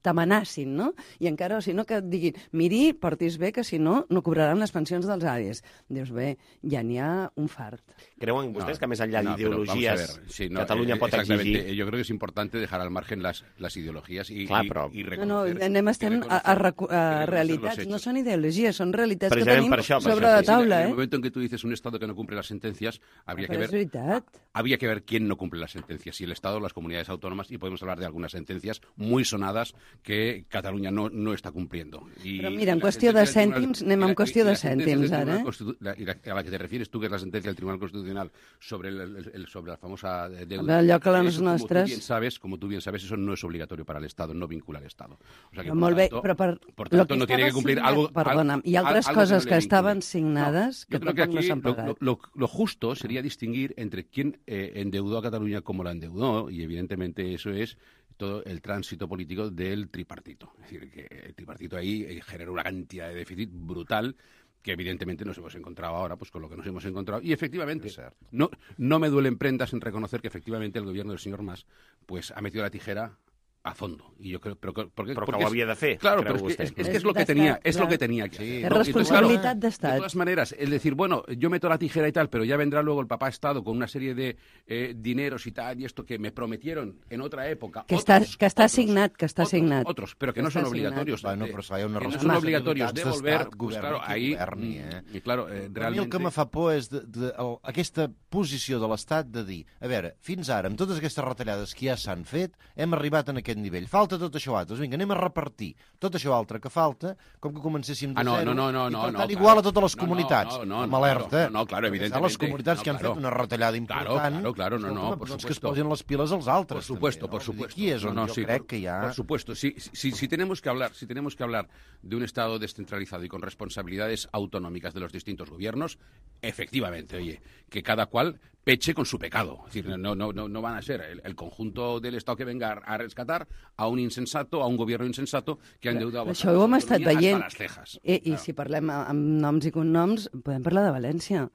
t'amenacin, no? I encara, o si no, que et diguin, miri, portis bé, que si no, no cobraran les pensions dels avis. Dius, bé, ja n'hi ha un fart. ¿Creuen ustedes no, que más allá de no, ideologías sí, no, Cataluña eh, pot exigir? Yo creo que es importante dejar al margen las, las ideologías y, Clar, y, però... y reconocer... No, no, anem estem a, a, a, a realitats, no són ideologies, són realitats que tenim això, sobre la taula. En el eh? momento en que tú dices un Estado que no cumple las sentencias, habría, que ver, veritat. habría que ver quién no cumple las sentencias, si el Estado o las comunidades comunidades autónomas y podemos hablar de algunas sentencias muy sonadas que Cataluña no, no está cumpliendo. I, Però mira, en qüestió de cèntims, anem en qüestió de cèntims, ara. I la, a la que te refieres tú, que es la sentencia del Tribunal Constitucional sobre, el, el, el, sobre la famosa deuda. Allò que les eso, nostres... Como tú bien sabes, como tú bien sabes, eso no es obligatorio para el Estado, no vincula al Estado. O sea que, però molt bé, tanto, però per, por tanto, que no tiene que cumplir signat, algo... Perdona, hi ha altres algo coses que, no que estaven signades no, que tampoco que no s'han pagat. Lo, lo, lo justo sería distinguir entre quién eh, endeudó a Cataluña como la endeudó, y evidentemente eso es todo el tránsito político del tripartito. Es decir, que el tripartito ahí eh, generó una cantidad de déficit brutal que evidentemente nos hemos encontrado ahora pues con lo que nos hemos encontrado. Y efectivamente, no, no me duelen prendas en reconocer que efectivamente el gobierno del señor Mas pues ha metido la tijera a fondo. Y yo creo, pero, porque, però porque que ho havia de fer. Claro, pero es que, es, es que es lo que tenía, es lo que tenía que hacer. Es responsabilidad de Estado. De todas maneras, es decir, bueno, yo meto la tijera y tal, pero ya vendrá luego el papá Estado con una serie de eh, dineros y tal, y esto que me prometieron en otra época. Que otros, està, que està otros, signat, que està otros, signat. Otros, pero que no son obligatorios. Bueno, però hi ha una que no son obligatorios de volver, govern, pues claro, ahí... governi, eh? I claro, eh, realment... A mi el que me fa por és de, de, el, aquesta posició de l'Estat de dir, a veure, fins ara, amb totes aquestes retallades que ja s'han fet, hem arribat en aquest nivell. Falta tot això altre. Vinga, anem a repartir tot això altre que falta, com que comencéssim de ah, no, zero, no, no, no, i per no, tant no, igual claro. a totes les no, comunitats. No, no, no, amb alerta. No, no, claro, evidentemente. Les comunitats no, que han claro. fet una retallada important. Claro, claro, no, no, escolta, por doncs supuesto. que es posin les piles als altres. Por supuesto, també, no? por supuesto. Aquí és on no, no, jo sí, crec por, que ja... Por supuesto, si, si, si, tenemos que hablar, si tenemos que hablar de un Estado descentralizado y con responsabilidades autonómicas de los distintos gobiernos, efectivamente, oye, que cada cual peche con su pecado. Es decir, no, no, no, no van a ser el, el conjunto del Estado que venga a rescatar a un insensato, a un gobierno insensato que ha endeudado això ho hem estat veient. Hasta las cejas. I, i claro. si parlem amb noms i cognoms, podem parlar de València.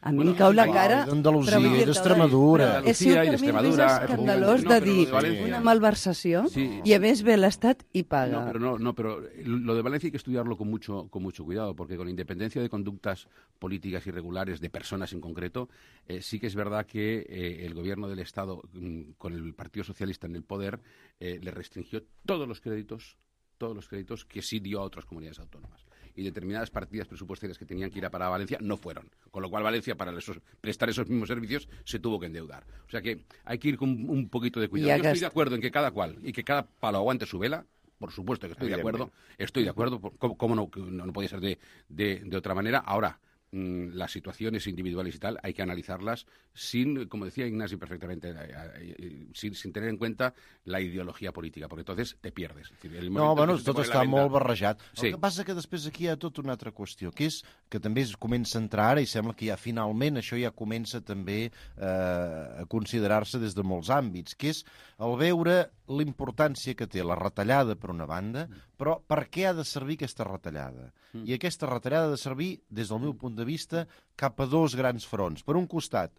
A mi bueno, em cau la igual, cara... d'Andalusia i d'Extremadura. He sigut per mi més escandalós de dir una malversació sí. i a més ve l'Estat i paga. No, pero no, no, pero lo de Valencia hay que estudiarlo con mucho, con mucho cuidado, porque con independencia de conductas políticas irregulares de personas en concreto, eh, sí que es verdad que eh, el gobierno del Estado, mm, con el Partido Socialista en el poder, eh, le restringió todos los créditos, todos los créditos que sí dio a otras comunidades autónomas. Y determinadas partidas presupuestarias que tenían que ir a para Valencia no fueron. Con lo cual Valencia, para esos, prestar esos mismos servicios, se tuvo que endeudar. O sea que hay que ir con un poquito de cuidado. Yo estoy de acuerdo en que cada cual y que cada palo aguante su vela. Por supuesto que estoy de acuerdo. Estoy de acuerdo. ¿Cómo, cómo no, no, no podía ser de, de, de otra manera? Ahora, mmm, las situaciones individuales y tal hay que analizarlas sin, como decía Ignasi perfectamente, eh, eh, sin, sin tener en cuenta la ideología política, porque entonces te pierdes. Es decir, el no, bueno, tot està venda... molt barrejat. Sí. El que passa que després aquí hi ha tota una altra qüestió, que és que també es comença a entrar ara i sembla que ja finalment això ja comença també eh, a considerar-se des de molts àmbits, que és el veure l'importància que té la retallada per una banda, però per què ha de servir aquesta retallada? Mm. I aquesta retallada ha de servir, des del meu punt de vista, cap a dos grans fronts. Per un costat,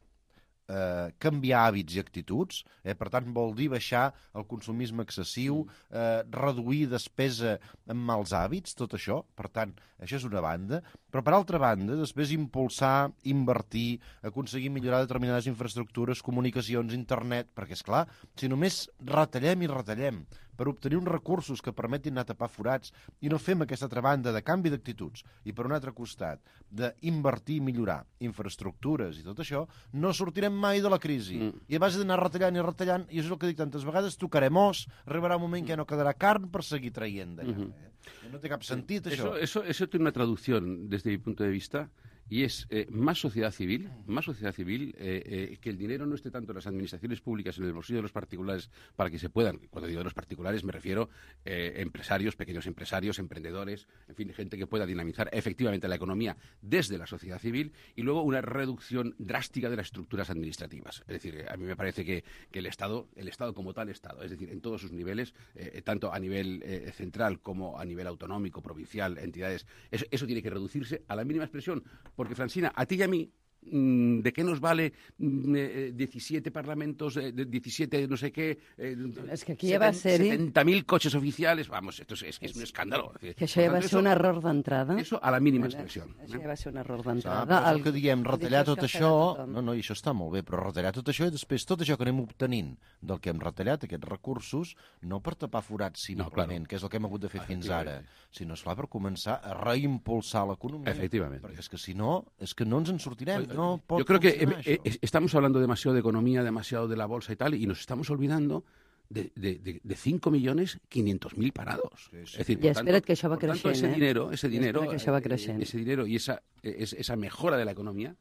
eh, canviar hàbits i actituds, eh, per tant vol dir baixar el consumisme excessiu, eh, reduir despesa amb mals hàbits, tot això, per tant, això és una banda, però per altra banda, després impulsar, invertir, aconseguir millorar determinades infraestructures, comunicacions, internet, perquè, és clar, si només retallem i retallem per obtenir uns recursos que permetin anar a tapar forats i no fem aquesta altra banda de canvi d'actituds i per un altre costat d'invertir i millorar infraestructures i tot això, no sortirem mai de la crisi. Mm. I a base d'anar retallant i retallant, i això és el que dic tantes vegades, tocarem os, arribarà un moment que ja no quedarà carn per seguir traient d'allà. Mm -hmm. No té cap sentit, això. Eso, eso, eso tiene una traducción desde mi punto de vista, y es eh, más sociedad civil, más sociedad civil, eh, eh, que el dinero no esté tanto en las administraciones públicas, en el bolsillo de los particulares, para que se puedan, cuando digo de los particulares me refiero a eh, empresarios, pequeños empresarios, emprendedores, en fin, gente que pueda dinamizar efectivamente la economía desde la sociedad civil, y luego una reducción drástica de las estructuras administrativas. Es decir, a mí me parece que, que el Estado, el Estado como tal Estado, es decir, en todos sus niveles, eh, tanto a nivel eh, central como a nivel autonómico, provincial, entidades, eso, eso tiene que reducirse a la mínima expresión. Porque, Francina, a ti y a mí, ¿de qué nos vale eh, diecisiete parlamentos, eh, diecisiete no sé qué, eh, es que aquí ja va ser setenta mil coches oficiales? Vamos, esto es, es, es un escàndalo. Que això ja va ser un error d'entrada. Eso a la mínima expressió. Això ja va ser un error d'entrada. Ah, el que diem, retallar tot això... No, no, i això està molt bé, però retallar tot això i després tot això que anem obtenint del que hem retallat, aquests recursos, no per tapar forats simplement, no, claro, que és el que hem hagut de fer fins ara, sinó, esclar, per començar a reimpulsar l'economia. Efectivament. Perquè és que si no, és que no ens en sortirem. No Yo creo que eh, eh, estamos hablando demasiado de economía, demasiado de la bolsa y tal, y nos estamos olvidando de, de, de, de cinco millones quinientos mil parados. Sí, sí. Es decir, I espera't tanto, que això va creixent, tanto, ese eh? dinero, ese dinero, que això va creixent. ese dinero y esa, esa mejora de la economía,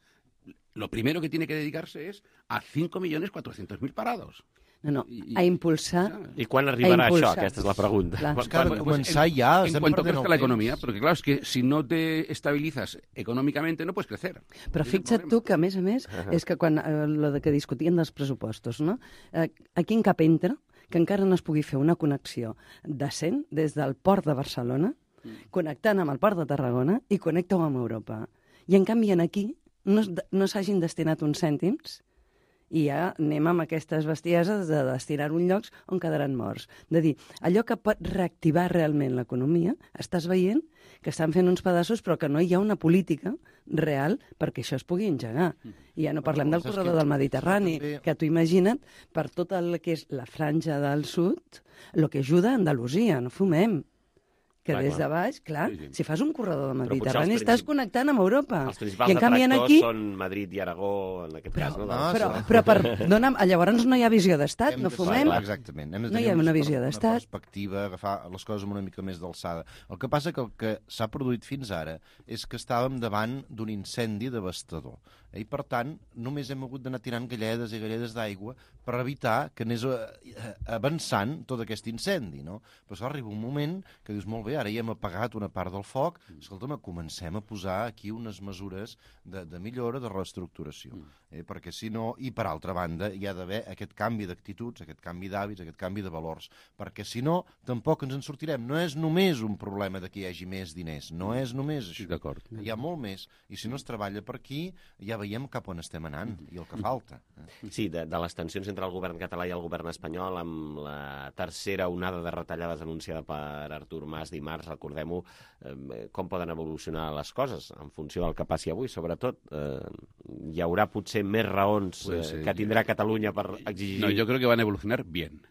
lo primero que tiene que dedicarse es a cinco millones cuatrocientos mil parados. No, no, a impulsar... I quan arribarà això? Aquesta és la pregunta. Clar. Pues que ha de començar ja. En cuanto crezca la economía, porque claro, es que si no te estabilizas económicamente no puedes crecer. Però fixa't tu que, a més a més, és que quan eh, lo de que discutien dels pressupostos, no? Eh, aquí en cap entra que encara no es pugui fer una connexió decent des del port de Barcelona, connectant amb el port de Tarragona i connecta-ho amb Europa. I en canvi en aquí no, no s'hagin destinat uns cèntims i ja anem amb aquestes bestieses de destinar-ho en llocs on quedaran morts. De dir, allò que pot reactivar realment l'economia, estàs veient que estan fent uns pedaços però que no hi ha una política real perquè això es pugui engegar. I ja no parlem del corredor del Mediterrani, que tu imagina't, per tot el que és la franja del sud, el que ajuda a Andalusia, no fumem. Que clar, des de baix, clar, sí, sí. si fas un corredor del Mediterrani estàs connectant amb Europa. Els principals detractors aquí... són Madrid i Aragó, en aquest però, cas. No? no però, però per donar... Llavors no hi ha visió d'estat, no fumem. Clar, exactament. Hem de no hi ha una visió d'estat. Una perspectiva, agafar les coses amb una mica més d'alçada. El que passa que el que s'ha produït fins ara és que estàvem davant d'un incendi devastador. I, per tant, només hem hagut d'anar tirant galledes i galledes d'aigua per evitar que anés avançant tot aquest incendi, no? Però arriba un moment que dius, molt bé, ara ja hem apagat una part del foc, escolta'm, comencem a posar aquí unes mesures de, de millora, de reestructuració. Eh? Perquè si no, i per altra banda, hi ha d'haver aquest canvi d'actituds, aquest canvi d'hàbits, aquest canvi de valors, perquè si no, tampoc ens en sortirem. No és només un problema de que hi hagi més diners, no és només això. D'acord. Hi ha molt més, i si no es treballa per aquí, ja veiem cap on estem anant i el que falta. Sí, de, de les tensions entre el govern català i el govern espanyol, amb la tercera onada de retallades anunciada per Artur Mas dimarts, recordem-ho, eh, com poden evolucionar les coses en funció del que passi avui, sobretot. Eh, hi haurà potser més raons eh, pues, eh, que tindrà Catalunya per exigir... No, yo creo que van a evolucionar bien.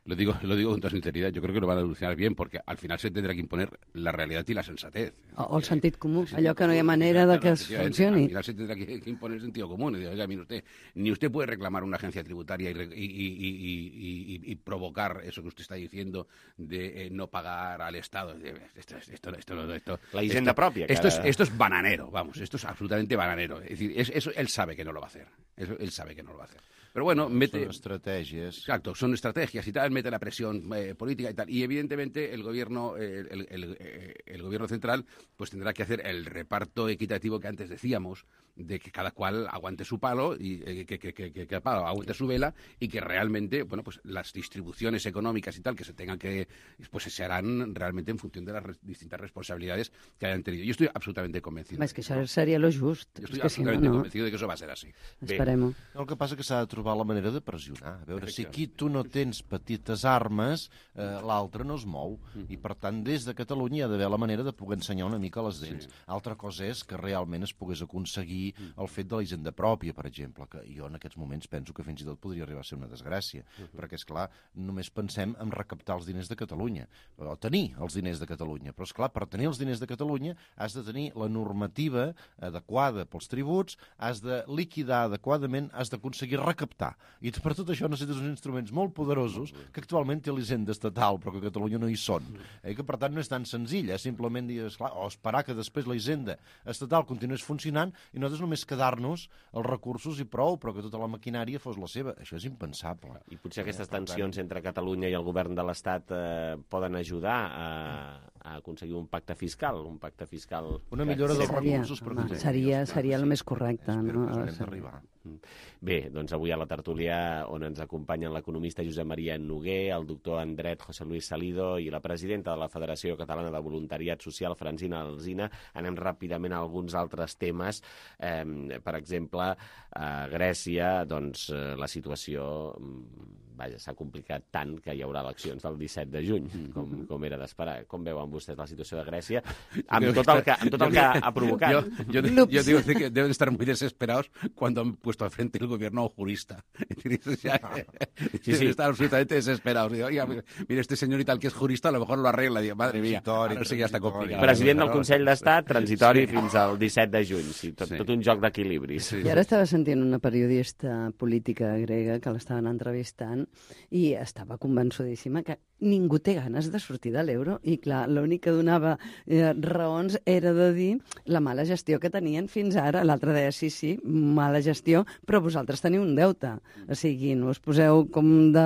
Lo digo, lo digo con toda sinceridad, yo creo que lo van a evolucionar bien, porque al final se tendrá que imponer la realidad y la sensatez. O, o el sentit comú, allò que no hi ha manera de que es funcioni. Al final se tendrá que, que imponer el sentido común. Y digo, oiga, mire usted, ni usted puede reclamar una agencia tributaria y, y, y, y, y, y provocar eso que usted está diciendo de eh, no pagar al Estado. Esto, esto, esto, esto, la hisenda esto, propia. Esto es, esto es bananero, vamos, esto es absolutamente bananero. Es decir, es, eso él sabe que no lo va a hacer. Eso, él sabe que no lo va a hacer. Pero bueno, mete... Son estrategias. Exacto, son estrategias y tal, mete la presión eh, política y tal. Y evidentemente el gobierno, eh, el, el, el, el gobierno central pues tendrá que hacer el reparto equitativo que antes decíamos, de que cada cual aguante su palo y eh, que, que, que, que, que palo aguante su vela y que realmente, bueno, pues las distribuciones económicas y tal que se tengan que, pues se harán realmente en función de las res, distintas responsabilidades que hayan tenido. Yo estoy absolutamente convencido. Es que això seria lo just. Yo estoy es que absolutamente si no, no. convencido de que eso va a ser así. Esperem-ho. El que passa que s'ha de trobar la manera de pressionar. A veure, si aquí tu no tens petites armes, eh, l'altre no es mou. I, per tant, des de Catalunya hi ha d'haver la manera de poder ensenyar una mica les dents. Sí. Altra cosa és que realment es pogués aconseguir el fet de la hisenda pròpia, per exemple, que jo en aquests moments penso que fins i tot podria arribar a ser una desgràcia, uh -huh. perquè, és clar, només pensem en recaptar els diners de Catalunya, o tenir els diners de Catalunya. Però, és clar, per tenir els diners de Catalunya has de tenir la normativa adequada pels tributs, has de liquidar adequadament, has d'aconseguir recaptar. I per tot això necessites uns instruments molt poderosos que actualment té l'hisenda estatal, però que a Catalunya no hi són. Eh? Que, per tant, no és tan senzill, eh? Simplement dir, esclar, o esperar que després la hisenda estatal continués funcionant i nosaltres només quedar-nos els recursos i prou, però que tota la maquinària fos la seva. Això és impensable. I potser aquestes tensions entre Catalunya i el govern de l'Estat eh, poden ajudar a, a aconseguir un pacte fiscal, un pacte fiscal... Una millora dels seria, recursos per home, seria, seria el més correcte. Espero no? que ens d'arribar. Bé, doncs avui a la tertúlia on ens acompanyen l'economista Josep Maria Noguer, el doctor en dret José Luis Salido i la presidenta de la Federació Catalana de Voluntariat Social, Francina Alsina. Anem ràpidament a alguns altres temes. Eh, per exemple, a Grècia, doncs, la situació vaja, s'ha complicat tant que hi haurà eleccions del disset de juny, com, com era d'esperar. Com veuen vostès la situació de Grècia? Amb tot el que, amb tot el que ha provocat. Yo, yo, yo, yo digo que deben estar muy desesperados cuando han puesto al frente el gobierno a un jurista. Es decir, ya, sí, sí. Están absolutamente desesperados. desesperados. Digo, oiga, mira, este señor y tal que es jurista, a lo mejor lo arregla. Digo, madre mía, ara sí que ja està complicat. President del Consell d'Estat, transitori sí. fins al disset de juny. Sí, tot, sí. tot un joc d'equilibris. Sí. I ara estava sentint una periodista política grega que l'estaven entrevistant i estava convençudíssima que ningú té ganes de sortir de l'euro i, clar, l'únic que donava eh, raons era de dir la mala gestió que tenien fins ara. L'altre deia, sí, sí, mala gestió, però vosaltres teniu un deute. O sigui, no us poseu com de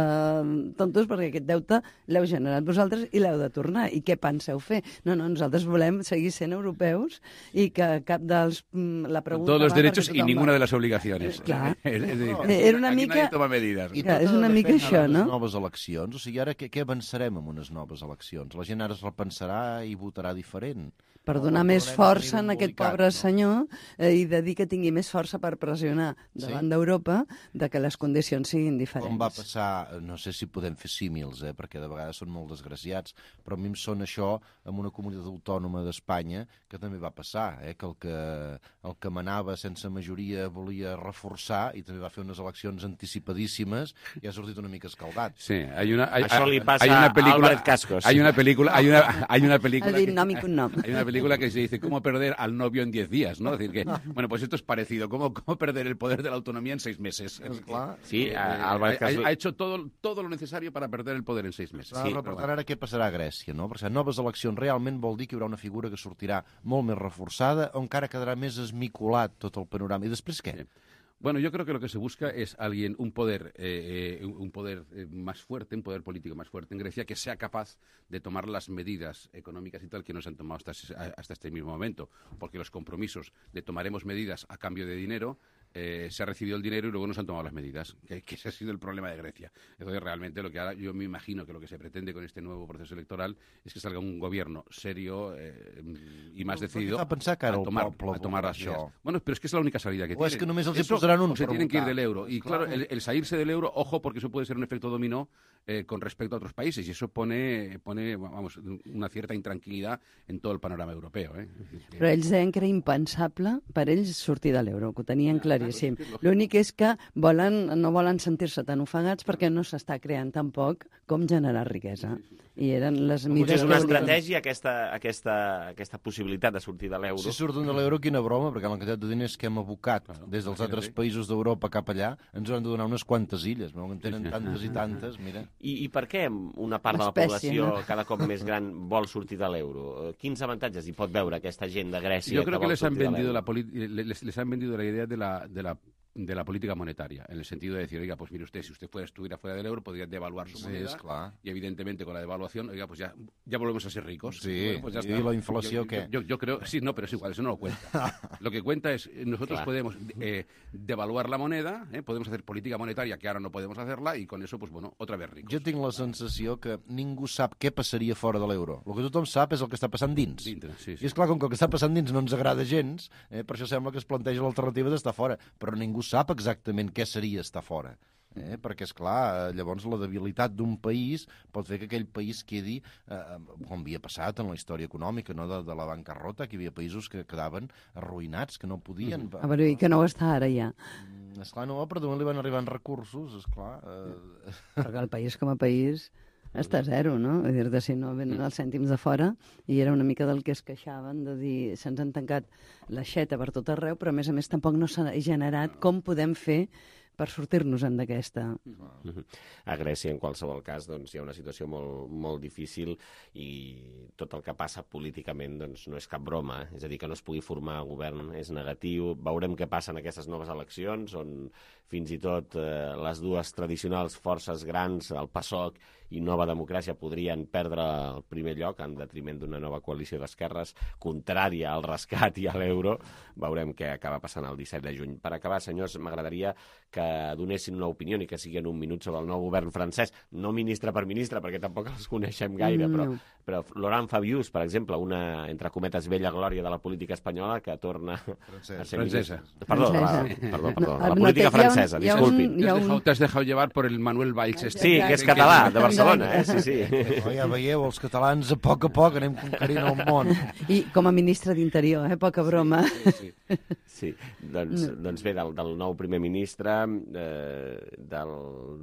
tontos perquè aquest deute l'heu generat vosaltres i l'heu de tornar. I què penseu fer? No, no, nosaltres volem seguir sent europeus i que cap dels... La pregunta todos los derechos y ninguna de las obligaciones. Clar. És, és dir, era una aquí mica... nadie toma medidas. I clar, és una mica això, no? Les noves eleccions, o sigui, ara què, què avançarem amb unes noves eleccions? La gent ara es repensarà i votarà diferent. Per donar més força en aquest pobre senyor eh, i de dir que tingui més força per pressionar davant sí? d'Europa de que les condicions siguin diferents. Com va passar, no sé si podem fer símils, eh, perquè de vegades són molt desgraciats, però a mi em sona això amb una comunitat autònoma d'Espanya que també va passar, eh, que el que, el que manava sense majoria volia reforçar i també va fer unes eleccions anticipadíssimes i ha sortit una mica escaldat. Sí, hay una, hay, això li passa hay una película, a Albert Cascos. Hay una película, hay una, hay una película, el nom i cognom. Hay una película que se dice cómo perder al novio en diez días, ¿no? Es decir que, bueno, pues esto es parecido, cómo, cómo perder el poder de la autonomía en seis meses. Es clar. Sí, eh, Albert Cascos... ha, ha hecho todo, todo lo necesario para perder el poder en seis meses. Sí, però per tant, ara què passarà a Grècia, no? Perquè noves eleccions realment vol dir que hi haurà una figura que sortirà molt més reforçada o encara quedarà més esmicolat tot el panorama. I després què? Sí. Bueno, yo creo que lo que se busca es alguien, un poder, eh, eh, un poder eh, más fuerte, un poder político más fuerte en Grecia, que sea capaz de tomar las medidas económicas y tal que no se han tomado hasta, hasta este mismo momento, porque los compromisos de tomaremos medidas a cambio de dinero, eh, se ha recibido el dinero y luego no se han tomado las medidas, que, que ese ha sido el problema de Grecia. Entonces, realmente, lo que ahora yo me imagino que lo que se pretende con este nuevo proceso electoral es que salga un gobierno serio eh, y más decidido a, pensar que ara a tomar, el a tomar las això. medidas. Bueno, pero es que es la única salida que o tienen. És que només els hi Eso, posaran un se tienen que ir votar. del euro. Y claro, claro, el, el salirse del euro, ojo, porque eso puede ser un efecto dominó eh, con respecto a otros países y eso pone, pone vamos, una cierta intranquilidad en todo el panorama europeo. Eh? Però ells deien que era impensable per ells sortir de l'euro, que ho tenien claríssim. L'únic és que volen, no volen sentir-se tan ofegats perquè no s'està creant tampoc com generar riquesa. I eren les millors... És una estratègia aquesta, aquesta, aquesta possibilitat de sortir de l'euro. Si surten de l'euro, quina broma, perquè la quantitat de diners que hem abocat claro, des dels altres països d'Europa cap allà ens hauran de donar unes quantes illes, no? En tenen tantes i tantes, mira. I, i per què una part de la població no? cada cop més gran vol sortir de l'euro? Quins avantatges hi pot veure aquesta gent de Grècia Yo creo que, que vol les han sortir vendido de la les, les han vendido la idea de la, de la de la política monetaria, en el sentido de decir, oiga, pues mire usted, si usted fuera, estuviera fuera del euro, podría devaluar su moneda, sí, claro. Y evidentemente con la devaluación, oiga, pues ya, ya volvemos a ser ricos. Sí, bueno, pues ya y está. la inflación, ¿qué? Yo, yo, yo creo, sí, no, pero es igual, eso no lo cuenta. Lo que cuenta es, nosotros claro. podemos eh, devaluar la moneda, eh, podemos hacer política monetaria, que ara no podemos hacerla, i con eso, pues bueno, otra vez ricos. Jo tinc la sensació que ningú sap què passaria fora de l'euro. El que tothom sap és el que està passant dins. Dintre, sí, sí. I és clar, com que el que està passant dins no ens agrada gens, eh, per això sembla que es planteja l'alternativa d'estar fora. Però ningú sap exactament què seria estar fora. Eh? Perquè, és clar, llavors la debilitat d'un país pot fer que aquell país quedi, eh, com havia passat en la història econòmica, no? de, de la bancarrota, que hi havia països que quedaven arruïnats, que no podien... A veure, i que no ho està ara ja. Esclar, no, però d'on li van arribant recursos, esclar... Eh... Perquè el país com a país està a zero, no? És a dir, si no venen els cèntims de fora, i era una mica del que es queixaven, de dir, se'ns han tancat l'aixeta per tot arreu, però a més a més tampoc no s'ha generat com podem fer per sortir-nos-en d'aquesta. A Grècia, en qualsevol cas, doncs, hi ha una situació molt, molt difícil i tot el que passa políticament doncs, no és cap broma. És a dir, que no es pugui formar govern és negatiu. Veurem què passa en aquestes noves eleccions, on fins i tot eh, les dues tradicionals forces grans, el PASOK i Nova Democràcia, podrien perdre el primer lloc en detriment d'una nova coalició d'esquerres contrària al rescat i a l'euro. Veurem què acaba passant el disset de juny. Per acabar, senyors, m'agradaria que donessin una opinió i que sigui en un minut sobre el nou govern francès, no ministre per ministre, perquè tampoc els coneixem gaire, però, però Laurent Fabius, per exemple, una, entre cometes, vella glòria de la política espanyola, que torna Francesa. a ser Francesa. ministre. Perdó, Francesa. La, perdó, perdó, No, la política no, francesa, hi ha un- disculpin. hi ha un- Te has dejado llevar por el Manuel Valls. Este. Sí, que és català, de Barcelona, eh? Sí, sí. Oh, ja veieu, els catalans a poc a poc anem conquerint el món. I com a ministre d'Interior, eh? Poca broma. Sí, sí, sí. Sí, doncs, doncs bé, del, del nou primer ministre, eh, del,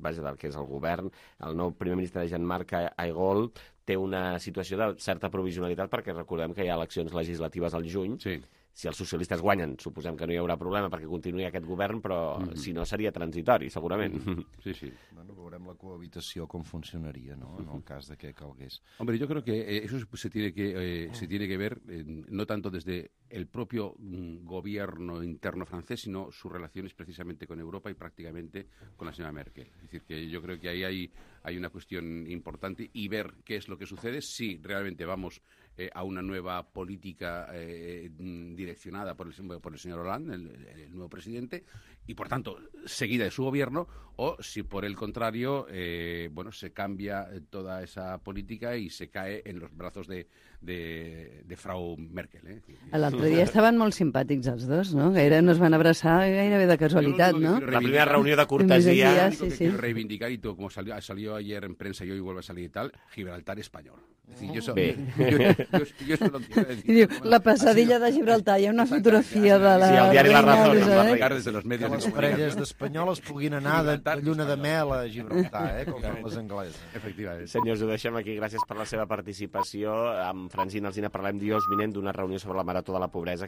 vaja, del que és el govern, el nou primer ministre de Jean-Marc Ayrault té una situació de certa provisionalitat perquè recordem que hi ha eleccions legislatives al juny. Sí. Si els socialistes guanyen, suposem que no hi haurà problema perquè continuï aquest govern, però mm -hmm. si no seria transitori, segurament. Mm -hmm. Sí, sí. Bueno, veurem la cohabitació com funcionaria, ¿no? En el cas de que calgués. Hombre, yo creo que eh, eso se tiene que, eh, se tiene que ver eh, no tanto desde el propio mm, gobierno interno francés, sino sus relaciones precisamente con Europa y prácticamente con la señora Merkel. Es decir, que yo creo que ahí hay, hay una cuestión importante y ver qué es lo que sucede, si realmente vamos eh, a una nueva política eh, direccionada por el, por el señor Hollande, el, el nuevo presidente, y por tanto seguida de su gobierno, o si por el contrario, eh, bueno, se cambia toda esa política y se cae en los brazos de, de, de Frau Merkel. Eh? L'altre dia estaven molt simpàtics els dos, no? Gaire no es van abraçar gairebé de casualitat, no? La primera reunión de cortesía. Sí, sí. Reivindicar, y todo, como salió, salió ayer en prensa y hoy vuelve a salir y tal, Gibraltar español. Es decir, yo eso, yo, yo, yo, yo eso lo quiero decir. I diu, la passadilla de Gibraltar, hi ha una fotografia de la... Sí, el diari La Razón. Des de los medios que les parelles d'espanyoles puguin anar de, de lluna de mel a Gibraltar, eh, com fan les angleses. Efectivament. Senyors, ho deixem aquí. Gràcies per la seva participació. Amb Francina Alsina parlem dijous vinent d'una reunió sobre la marató de la pobresa que